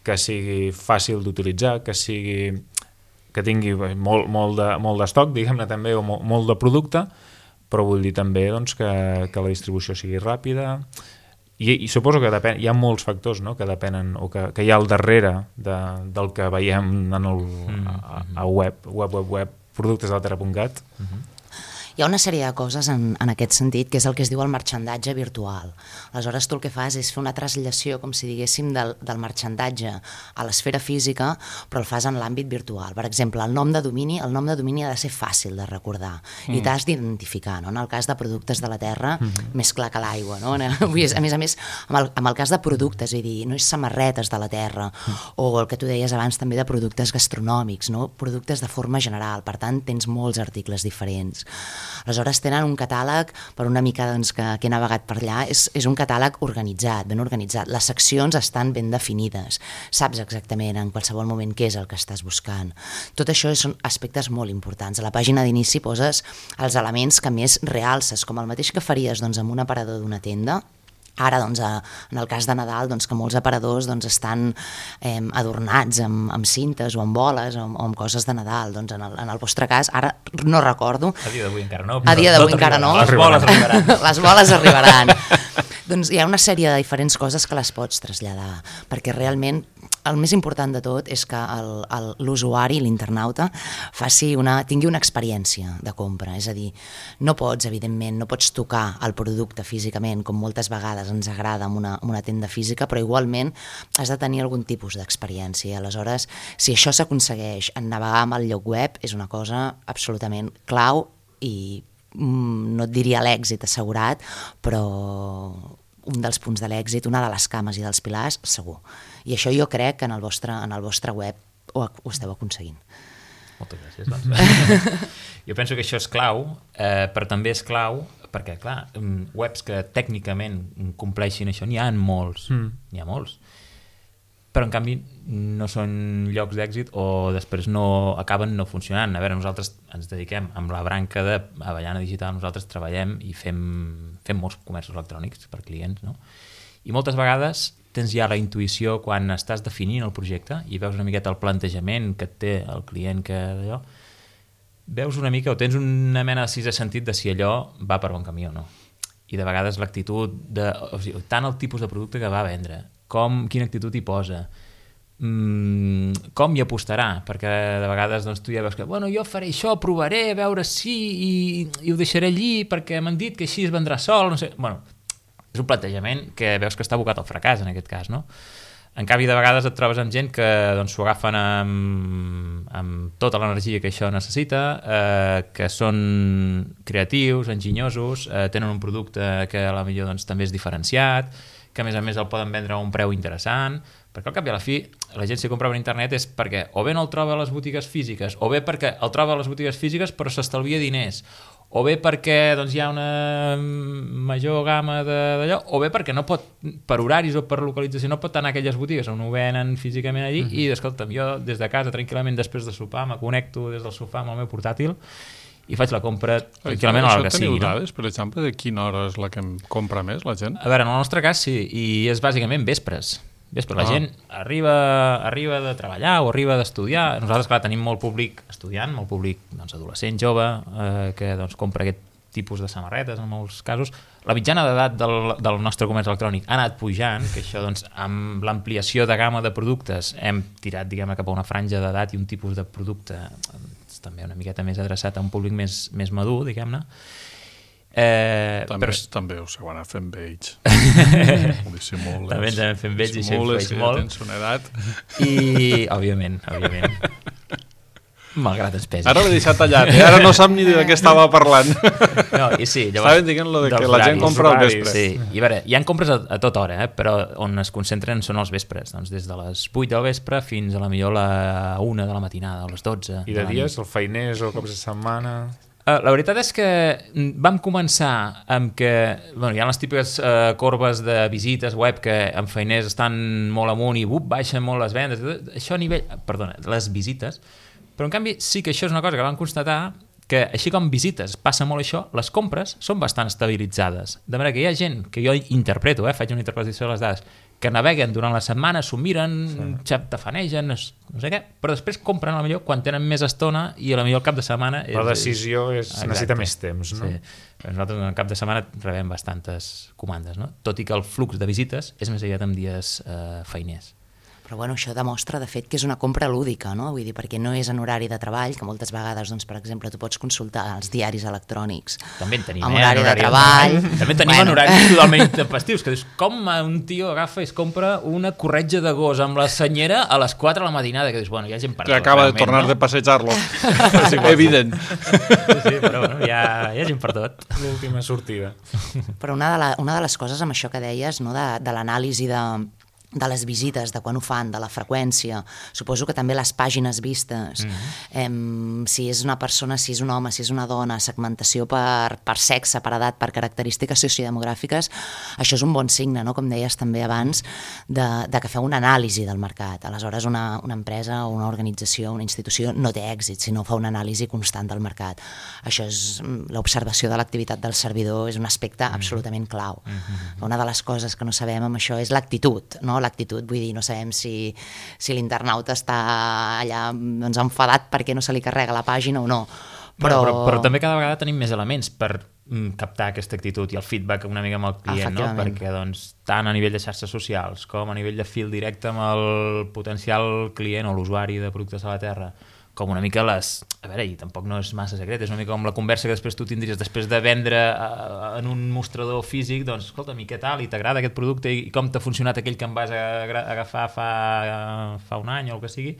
que sigui fàcil d'utilitzar, que tingui molt d'estoc, diguem-ne també, o molt de producte, però vull dir també doncs, que la distribució sigui ràpida. I suposo que hi ha molts factors, no?, que depenen o que hi ha al darrere del que veiem a web, productesdelaterra.cat. Hi ha una sèrie de coses en aquest sentit, que és el que es diu el marxandatge virtual. Aleshores, tu el que fas és fer una traslació, com si diguéssim, del marxandatge a l'esfera física, però el fas en l'àmbit virtual. Per exemple, el nom de domini ha de ser fàcil de recordar i t'has d'identificar, no? En el cas de Productes de la Terra, més clar que l'aigua, no? A més, amb el cas de productes, és a dir, no és samarretes de la terra, o el que tu deies abans també de productes gastronòmics, no? Productes de forma general, per tant, tens molts articles diferents. Aleshores tenen un catàleg, per una mica doncs, que he navegat per allà, és un catàleg organitzat, ben organitzat. Les seccions estan ben definides, saps exactament en qualsevol moment què és el que estàs buscant. Tot això són aspectes molt importants. A la pàgina d'inici poses els elements que més realces, com el mateix que faries doncs, amb un aparador d'una tenda. Ara, doncs, en el cas de Nadal, doncs, que molts aparadors doncs, estan adornats amb cintes o amb boles o amb coses de Nadal. Doncs, en el vostre cas, ara no recordo. A dia d'avui encara no. A dia d'avui encara no. Les boles arribaran. Les boles arribaran. Doncs hi ha una sèrie de diferents coses que les pots traslladar, perquè realment el més important de tot és que l'usuari, l'internauta, tingui una experiència de compra. És a dir, no pots, evidentment, no pots tocar el producte físicament, com moltes vegades ens agrada amb una tenda física, però igualment has de tenir algun tipus d'experiència. Aleshores, si això s'aconsegueix en navegar amb el lloc web, és una cosa absolutament clau i no et diria l'èxit assegurat, però un dels punts de l'èxit, una de les cames i dels pilars, segur. I això jo crec que en el vostre web ho esteu aconseguint. Moltes gràcies. Doncs. Jo penso que això és clau, però també és clau perquè, clar, webs que tècnicament compleixin això, n'hi ha molts, n'hi ha molts. Però en canvi no són llocs d'èxit o després acaben no funcionant. A veure, nosaltres ens dediquem amb la branca d'Avellana Digital, nosaltres treballem i fem molts comerços electrònics per clients, no? I moltes vegades tens ja la intuïció quan estàs definint el projecte i veus una miqueta el plantejament que et té el client, que d'allò, veus una mica o tens una mena de sisè sentit de si allò va per bon camí o no. I de vegades l'actitud, o sigui, tant el tipus de producte que va vendre, quina actitud hi posa, com hi apostarà, perquè de vegades doncs, tu ja veus que jo faré això, provaré, a veure si i ho deixaré allí perquè m'han dit que així es vendrà sol, no sé. És un plantejament que veus que està abocat al fracàs en aquest cas, no? En canvi, de vegades et trobes amb gent que s'ho agafen amb tota l'energia que això necessita, que són creatius, enginyosos, tenen un producte que a la millor doncs, també és diferenciat, que a més el poden vendre a un preu interessant, perquè al cap i a la fi la gent si compra per internet és perquè o bé no el troba a les botigues físiques, o bé perquè el troba a les botigues físiques però s'estalvia diners, o bé perquè doncs, hi ha una major gamma d'allò, o bé perquè no pot, per horaris o per localització, no pot anar a aquelles botigues on ho venen físicament allí i, escolta'm, jo des de casa tranquil·lament després de sopar me connecto des del sofà amb el meu portàtil i faig la compra tranquil·lament a l'hora que sigui. Això teniu dades, per exemple, de quina hora és la que compra més la gent? A veure, en el nostre cas sí, i és bàsicament vespres. La gent arriba de treballar o arriba d'estudiar. Nosaltres, clar, tenim molt públic estudiant, molt públic doncs, adolescent, jove, que doncs, compra aquest tipus de samarretes en molts casos. La mitjana d'edat del nostre comerç electrònic ha anat pujant, que això doncs, amb l'ampliació de gamma de productes hem tirat diguem, cap a una franja d'edat i un tipus de producte també una miqueta més adreçat a un públic més madur, diguem-ne. També us heu anat fent vells. També ens hem fent vells i això influeix molt. Tens una edat. I, òbviament. Malgrat es pesi. Ara l'he deixat tallat, ara no sap ni de què estava parlant. No, i sí, llavors, estaven dient lo de que la gent compra al vespre. Sí, i a veure, hi ha compres a tota hora, però on es concentren són els vespres, doncs des de les 8 del vespre fins a la millor la 1 de la matinada, o les 12. I de dies, el feiners o cops de setmana... La veritat és que vam començar amb que hi ha les típiques corbes de visites web que en feiners estan molt amunt i baixen molt les vendes, això a nivell... Perdona, les visites, però en canvi sí que això és una cosa que vam constatar que així com visites passa molt això, les compres són bastant estabilitzades, de manera que hi ha gent que jo interpreto, faig una interpretació de les dades, que naveguen durant la setmana, s'ho miren, tafanegen, no sé què, però després compren a la millor quan tenen més estona i a la millor el cap de setmana... La decisió necessita més temps, no? Sí. Nosaltres al cap de setmana rebem bastantes comandes, no? Tot i que el flux de visites és més aviat en dies feiners. Però bueno, això demostra, de fet, que és una compra lúdica, no? Vull dir, perquè no és en horari de treball, que moltes vegades, doncs, per exemple, tu pots consultar els diaris electrònics també en tenim, en horari de treball. També tenim en horaris totalment intempestius, que dius, com un tio agafa i es compra una corretja de gos amb la senyera a les 4 de la matinada, que dius, bueno, hi ha gent per tot. Que acaba de tornar de passejar-lo. Evident. Sí, però bueno, hi ha gent per tot. L'última sortida. Però una de les coses amb això que deies, no, de l'anàlisi de les visites, de quan ho fan, de la freqüència, suposo que també les pàgines vistes, si és una persona, si és un home, si és una dona, segmentació per sexe, per edat, per característiques sociodemogràfiques, això és un bon signe, no? Com deies també abans, de que feu una anàlisi del mercat. Aleshores una empresa o una organització, una institució no té èxit si no fa una anàlisi constant del mercat. Això és l'observació de l'activitat del servidor, és un aspecte absolutament clau. Una de les coses que no sabem amb això és l'actitud, no? L'actitud, vull dir, no sabem si l'internauta està allà doncs, enfadat perquè no se li carrega la pàgina o no. Però també cada vegada tenim més elements per captar aquesta actitud i el feedback una mica amb el client, no? Perquè doncs, tant a nivell de xarxes socials com a nivell de fil directe amb el potencial client o l'usuari de productes a la Terra, com una mica a veure, i tampoc no és massa secret, és una mica com la conversa que després tu tindries després de vendre en un mostrador físic, doncs escolta'm, i què tal, i t'agrada aquest producte, i com t'ha funcionat aquell que em vas agafar fa un any o el que sigui.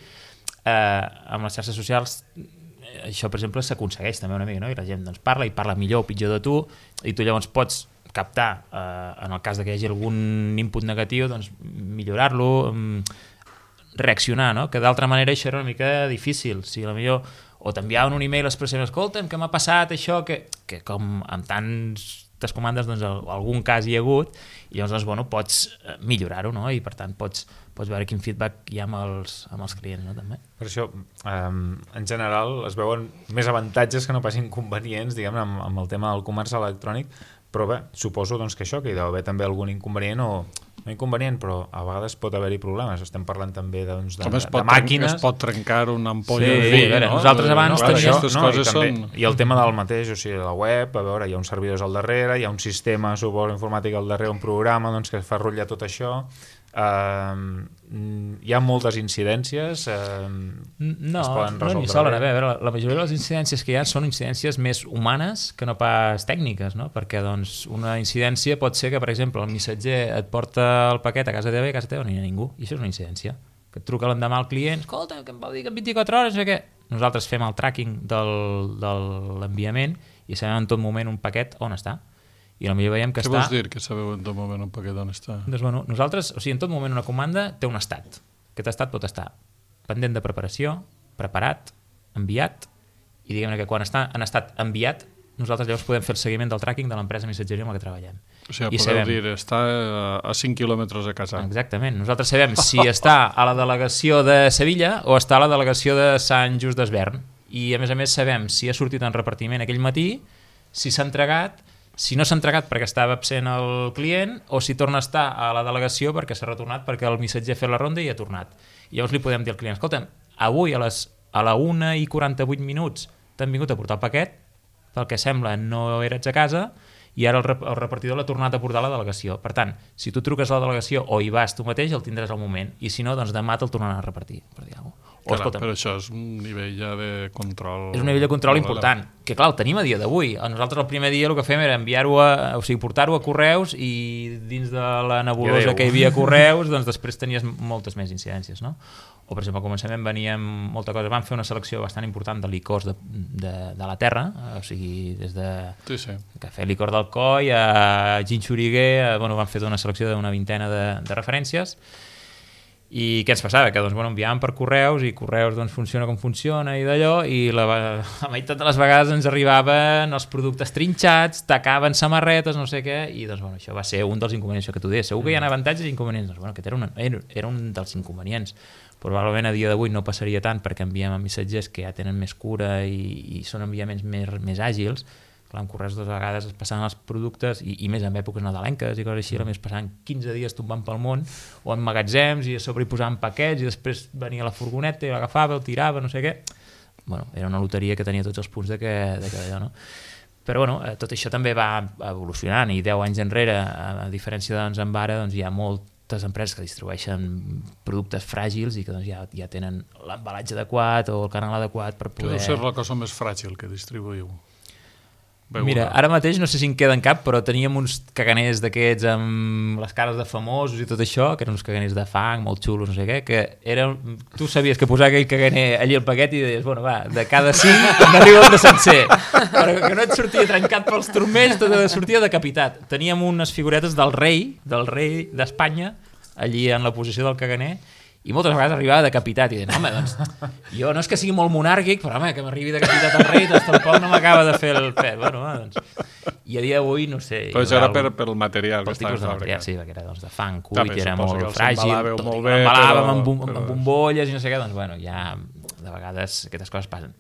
Amb les xarxes socials això, per exemple, s'aconsegueix també una mica, no? I la gent doncs, parla millor o pitjor de tu, i tu llavors pots captar, en el cas que hi hagi algun input negatiu, doncs millorar-lo, reaccionar, no? Que d'altra manera això era una mica difícil. Si potser o t'enviaven un email expressant, escolta'm, què m'ha passat això, que com amb tantes comandes, doncs algun cas hi ha hagut, i llavors doncs, bueno, pots millorar-ho, no? I per tant pots veure quin feedback hi ha amb els clients, no? També. Per això, en general, es veuen més avantatges que no pas inconvenients, diguem, amb el tema del comerç electrònic, però bé, suposo doncs, que això, que hi deu haver també algun inconvenient o no inconvenient, però a vegades pot haver-hi problemes. Estem parlant també doncs, de màquines. Es pot trencar una ampolla de vi, no? Nosaltres abans teníem... I el tema del mateix, o sigui, la web, a veure, hi ha uns servidors al darrere, hi ha un sistema, suposo, informàtic al darrere, un programa doncs, que fa rotllar tot això. Hi ha moltes incidències, no n'hi solen haver. La majoria de les incidències que hi ha són incidències més humanes que no pas tècniques, no? Perquè doncs, una incidència pot ser que, per exemple, el missatger et porta el paquet a casa teva i a casa teva no hi ha ningú, i això és una incidència. Que et truca l'endemà al client, escolta, que em vau dir que en 24 hores, no sé què. Nosaltres fem el tracking de l'enviament i sabem en tot moment un paquet on està. I potser veiem que Què vols dir, que sabeu en tot moment un paquet on està? Doncs, bueno, nosaltres, o sigui, en tot moment una comanda té un estat. Aquest estat pot estar pendent de preparació, preparat, enviat, i diguem-ne que quan està en estat enviat, nosaltres llavors podem fer el seguiment del tracking de l'empresa missatgeria amb la que treballem. O sigui, podeu dir, està a 5 quilòmetres de casa. Exactament. Nosaltres sabem si està a la delegació de Sevilla o està a la delegació de Sant Just d'Esvern. I, a més, sabem si ha sortit en repartiment aquell matí, si s'ha entregat, si no s'ha entregat perquè estava absent el client o si torna a estar a la delegació perquè s'ha retornat perquè el missatger ha fet la ronda i ha tornat. I llavors li podem dir al client, escolta'm, avui a la 1:48 t'han vingut a portar el paquet, pel que sembla no eres a casa i ara el repartidor l'ha tornat a portar a la delegació. Per tant, si tu truques a la delegació o hi vas tu mateix, el tindràs al moment, i si no, doncs demà te'l tornaran a repartir, per dir alguna cosa. Clar, però això és un nivell ja de control... És un nivell de control important, que clar, el tenim a dia d'avui. Nosaltres el primer dia el que fem era portar-ho a correus i dins de la nebulosa que hi havia correus, doncs després tenies moltes més incidències, no? O, per exemple, al començament veníem molta cosa, vam fer una selecció bastant important de licors de la terra, o sigui, des de cafè licor d'Alcoi a gin xuriguer, bueno, vam fer una selecció d'una vintena de referències. I què ens passava? Que doncs, bueno, enviàvem per correus i correus doncs, funciona com funciona i d'allò, i la meitat de les vegades ens arribaven els productes trinxats, tacaven samarretes, no sé què, i doncs, bueno, això va ser un dels inconvenients que tu deies. Segur que hi ha avantatges i inconvenients. Doncs, bueno, aquest era un dels inconvenients. Probablement a dia d'avui no passaria tant perquè enviem a missatgers que ja tenen més cura i són enviaments més àgils. Clar, en correus de vegades es passaven els productes i més en èpoques nadalenques i coses així, a més passaven 15 dies tombant pel món o en magatzems i a sobre hi posaven paquets i després venia la furgoneta i l'agafava, el tirava, no sé què. Bueno, era una loteria que tenia tots els punts de que allò, no? Però bueno, tot això també va evolucionant i 10 anys enrere, a diferència doncs, amb ara, doncs, hi ha moltes empreses que distribueixen productes fràgils i que doncs, ja tenen l'embalatge adequat o el canal adequat per poder... Que deu ser la cosa més fràgil que distribuïu. Mira, ara mateix no sé si en queda en cap, però teníem uns caganers d'aquests amb les cares de famosos i tot això, que eren uns caganers de fang, molt xulos, no sé què, que eren... Tu sabies que posar aquell caganer allí al paquet i deies, bueno, va, de cada 5 n'arriba un de sencer. Però que no et sortia trencat pels turmells, tot sortia decapitat. Teníem unes figuretes del rei d'Espanya, allí en la posició del caganer, i moltes vegades arribava decapitat i deia, home, doncs, jo no és que sigui molt monàrquic, però home, que m'arribi decapitat el rei, doncs tampoc no m'acaba de fer el pet. Bueno, doncs... I a dia d'avui, no sé... Però això era pel material que estava fabricat. Sí, perquè era de fang, cuit, era molt fràgil, emballàvem amb bombolles i no sé què, doncs bueno, ja de vegades aquestes coses passen.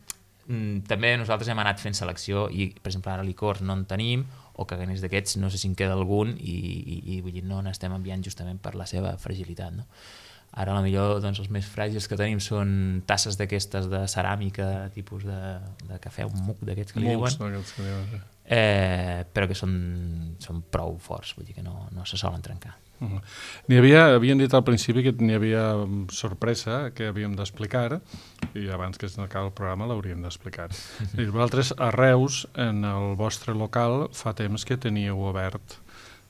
També nosaltres hem anat fent selecció i, per exemple, ara licors no en tenim, o caganers d'aquests no sé si en queda algun i vull dir, no n'estem enviant justament per la seva fragilitat, no? Ara, a la millor, doncs, els més fràgils que tenim són tasses d'aquestes de ceràmica, tipus de cafè, un muc d'aquests que li diuen, però que són prou forts, vull dir que no se solen trencar. Havien dit al principi que n'hi havia sorpresa que havíem d'explicar, i abans que s'acabi el programa l'hauríem d'explicar. Vosaltres, a Reus, en el vostre local, fa temps que teníeu obert,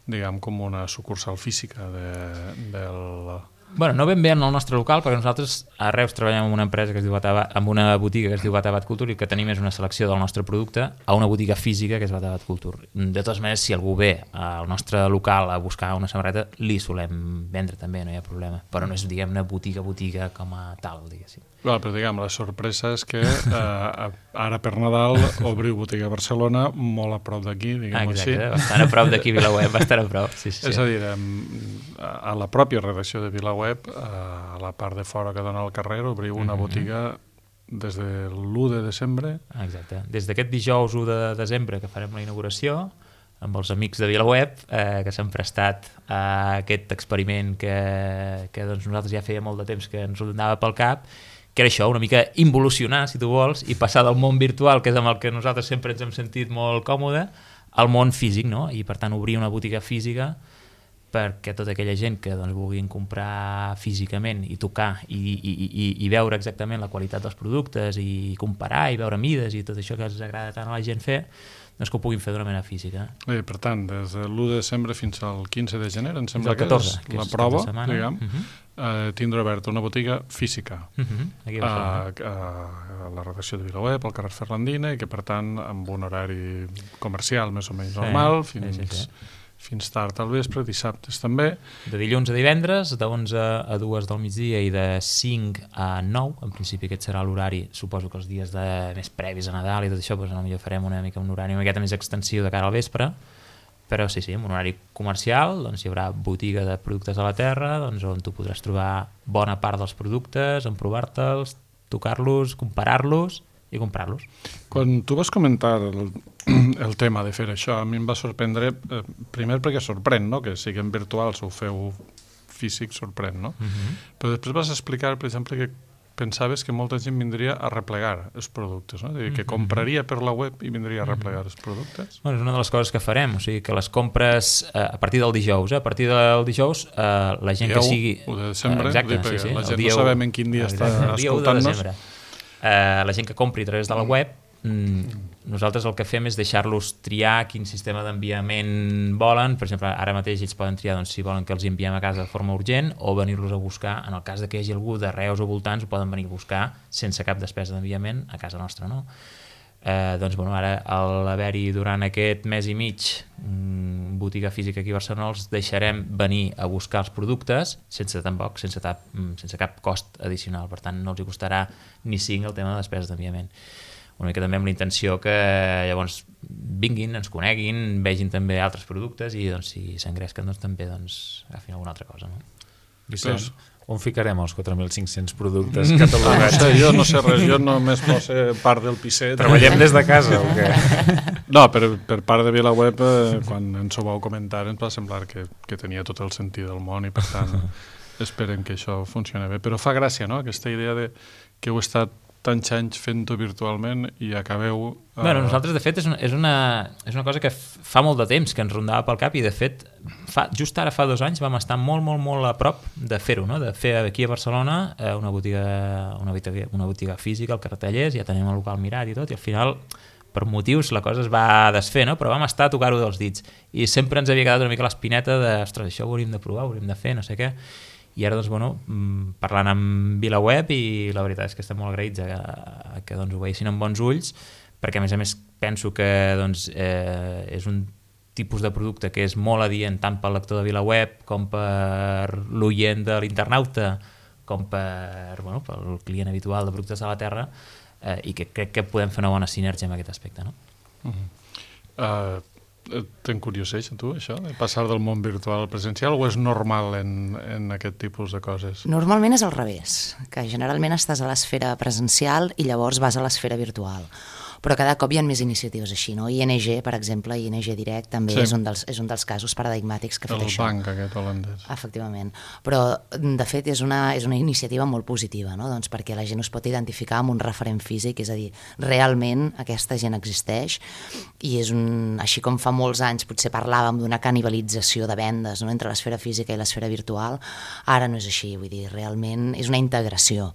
diguem, com una sucursal física del... Bueno, no ben bé en el nostre local, perquè nosaltres a Reus treballem amb una empresa que es diu amb una botiga que es diu Batabat Culture i que tenim és una selecció del nostre producte a una botiga física que és Batabat Culture. De totes maneres, si algú ve al nostre local a buscar una samarreta, li solem vendre també, no hi ha problema. Però no és, diguem, una botiga com a tal, diguéssim. Però diguem, la sorpresa és que ara per Nadal obriu botiga a Barcelona, molt a prop d'aquí, diguem-ho així. Exacte, bastant a prop d'aquí, VilaWeb, bastant a prop. Sí. És a dir, a la pròpia redacció de VilaWeb, a la part de fora que dona al carrer, obriu una botiga des de l'1 de desembre. Exacte, des d'aquest dijous 1 de desembre que farem la inauguració, amb els amics de VilaWeb, que s'han prestat a aquest experiment que doncs, nosaltres ja feia molt de temps que ens rondava pel cap, que era això, una mica involucionar, si tu vols, i passar del món virtual, que és amb el que nosaltres sempre ens hem sentit molt còmode, al món físic, no? I per tant obrir una botiga física perquè tota aquella gent que doncs, vulguin comprar físicament i tocar i veure exactament la qualitat dels productes i comparar i veure mides i tot això que els agrada tant a la gent fer, doncs que ho puguin fer d'una manera física. Per tant, des de l'1 de desembre fins al 15 de gener, em sembla que és la prova, diguem, tindrà oberta una botiga física a la redacció de VilaWeb, al carrer Ferlandina, i que per tant amb un horari comercial més o menys normal, fins tard al vespre, dissabtes també. De dilluns a divendres, de 11 a 2 del migdia i de 5 a 9, en principi aquest serà l'horari, suposo que els dies més previs a Nadal i tot això, doncs potser farem una mica un horari una miqueta més extensiu de cara al vespre, però sí, amb un horari comercial, doncs hi haurà botiga de productes de la terra, doncs on tu podràs trobar bona part dels productes, emprovar-te'ls, tocar-los, comparar-los i comprar-los. Quan tu vas comentar el tema de fer això, a mi em va sorprendre, primer perquè sorprèn, no? Que siguem virtuals o ho feu físic, sorprèn, no? Però després vas explicar, per exemple, que pensaves que molta gent vindria a replegar els productes, no? Que compraria per la web i vindria a replegar els productes. Bueno, és una de les coses que farem, o sigui que les compres a partir del dijous, a partir del dijous la gent que sigui... 1 de desembre, exacte, la gent no sabem en quin dia està escoltant-nos. La gent que compri a través de la web, nosaltres el que fem és deixar-los triar quin sistema d'enviament volen. Per exemple, ara mateix ells poden triar doncs, si volen que els enviem a casa de forma urgent o venir-los a buscar. En el cas que hi hagi algú de Reus o voltants, ho poden venir a buscar sense cap despesa d'enviament a casa nostra, no? Doncs, bueno, ara, al haver-hi durant aquest mes i mig botiga física aquí a Barcelona, els deixarem venir a buscar els productes sense cap cost addicional. Per tant, no els hi costarà ni 5 el tema de despeses d'enviament. Una mica també amb la intenció que llavors vinguin, ens coneguin, vegin també altres productes i doncs, si s'engresquen doncs, també agafin alguna altra cosa. No? Vicenç, on ficarem els 4.500 productes catalogats? Jo no sé res, jo només poso part del pisset. Treballem des de casa o què? No, per part de VilaWeb, quan ens ho vau comentar, ens va semblar que tenia tot el sentit del món i per tant esperem que això funcioni bé. Però fa gràcia, no?, aquesta idea de que heu estat tants anys fent-ho virtualment i acabeu... Bueno, nosaltres, de fet, és una cosa que fa molt de temps que ens rondava pel cap i, de fet, just ara fa 2 anys vam estar molt, molt, molt a prop de fer-ho, no? De fer aquí a Barcelona una botiga física al carrer Tallers, ja tenim el local mirat i tot, i al final, per motius, la cosa es va desfer, no? Però vam estar a tocar-ho dels dits. I sempre ens havia quedat una mica l'espineta de, ostres, això ho hauríem de provar, ho hauríem de fer, no sé què. I ara, doncs, bueno, parlant amb VilaWeb, i la veritat és que estem molt agraïts que doncs, ho veiessin amb bons ulls, perquè a més penso que doncs, és un tipus de producte que és molt adient tant pel lector de VilaWeb com per l'oient de l'internauta com pel client habitual de productes de la Terra, i que crec que podem fer una bona sinergia en aquest aspecte, no? T'encurioseix a tu, això, de passar del món virtual al presencial, o és normal en aquest tipus de coses? Normalment és al revés, que generalment estàs a l'esfera presencial i llavors vas a l'esfera virtual. Però cada cop hi ha més iniciatives així, no? ING, per exemple, ING Direct també és un dels casos paradigmàtics que ha fet això. El banc aquest holandès. Efectivament. Però, de fet, és una iniciativa molt positiva, no? Doncs perquè la gent us pot identificar amb un referent físic, és a dir, realment aquesta gent existeix, i és així com fa molts anys potser parlàvem d'una canibalització de vendes, no? Entre l'esfera física i l'esfera virtual, ara no és així, vull dir, realment és una integració.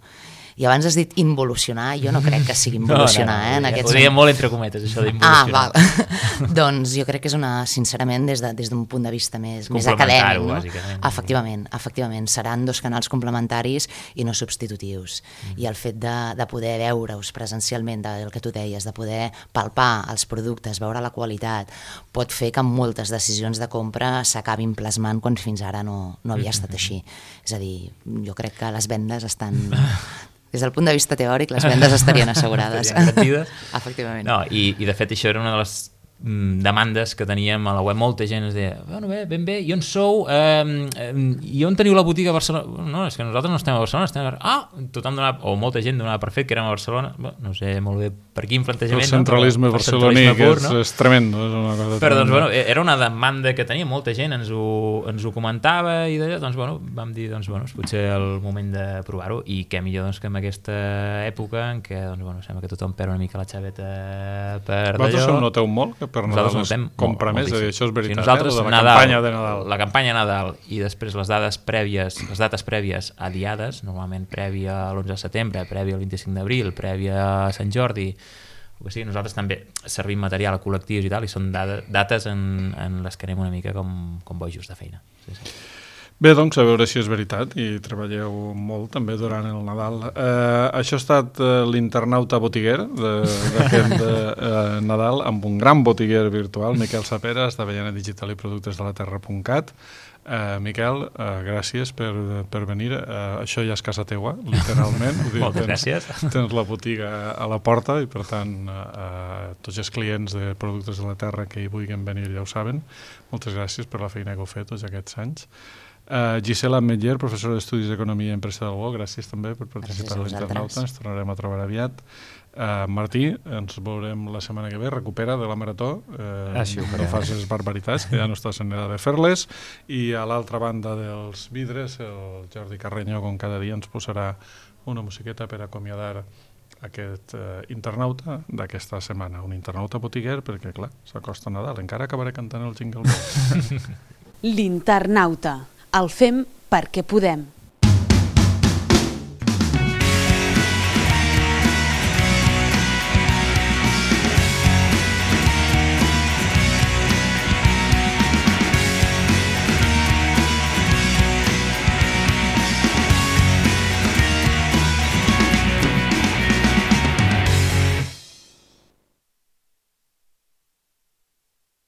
I abans has dit involucionar, jo no crec que sigui involucionar. Ho deia molt entre cometes, això d'involucionar. Val. Doncs jo crec que és sincerament, des d'un punt de vista més acadèmic. No? Efectivament. Seran dos canals complementaris i no substitutius. I el fet de poder veure-us presencialment, del que tu deies, de poder palpar els productes, veure la qualitat, pot fer que moltes decisions de compra s'acabin plasmant quan fins ara no havia estat així. És a dir, jo crec que les vendes estan... Des del punt de vista teòric, les vendes estarien assegurades. Estarien garantides. Efectivament. No, i de fet això era una de les demandes que teníem a la web. Molta gent ens deia, bueno, ben bé, i on sou? I on teniu la botiga a Barcelona? No, és que nosaltres no estem a Barcelona, estem a... tothom donava, o molta gent donava per fet que érem a Barcelona. No sé molt bé per quin plantejament. El centralisme barceloní, que és tremendo. És una cosa però doncs, bueno, era una demanda que tenia, molta gent ens ho comentava, i d'allò, doncs, bueno, vam dir, doncs, bueno, és potser el moment de provar-ho, i què millor doncs, que en aquesta època en què, doncs, bueno, sembla que tothom perd una mica la xaveta per d'allò. Vosaltres ho noteu molt, que per Nadal es compra més, això és veritat, nosaltres, de la campanya de Nadal. La campanya Nadal i després les dates prèvies a diades, normalment prèvia a l'11 de setembre, prèvia al 25 d'abril, prèvia a Sant Jordi, o que sigui, nosaltres també servim material a col·lectius i tal, i són dates en les que anem una mica com bojos de feina. Sí. Bé, doncs, a veure si és veritat, i treballeu molt també durant el Nadal. Això ha estat l'internauta botiguer de Nadal, amb un gran botiguer virtual, Miquel Saperas, de Avellana Digital i Productes de la Terra.cat. Miquel, gràcies per venir. Això ja és casa teua, literalment. Moltes gràcies. Tens la botiga a la porta i, per tant, tots els clients de Productes de la Terra que hi vulguin venir ja ho saben. Moltes gràcies per la feina que heu fet tots aquests anys. Gisela Ametller, professora d'Estudis d'Economia i Empresa del UOC, gràcies també per participar a l'Internauta, ens tornarem a trobar aviat. Martí, ens veurem la setmana que ve, recupera de la marató, no facis barbaritats, que ja no estàs en edad de fer-les, i a l'altra banda dels vidres, el Jordi Carreño, com cada dia, ens posarà una musiqueta per acomiadar aquest internauta d'aquesta setmana, un internauta botiguer, perquè clar, s'acosta Nadal, encara acabaré cantant el Jingle Bells. L'internauta. El fem perquè podem.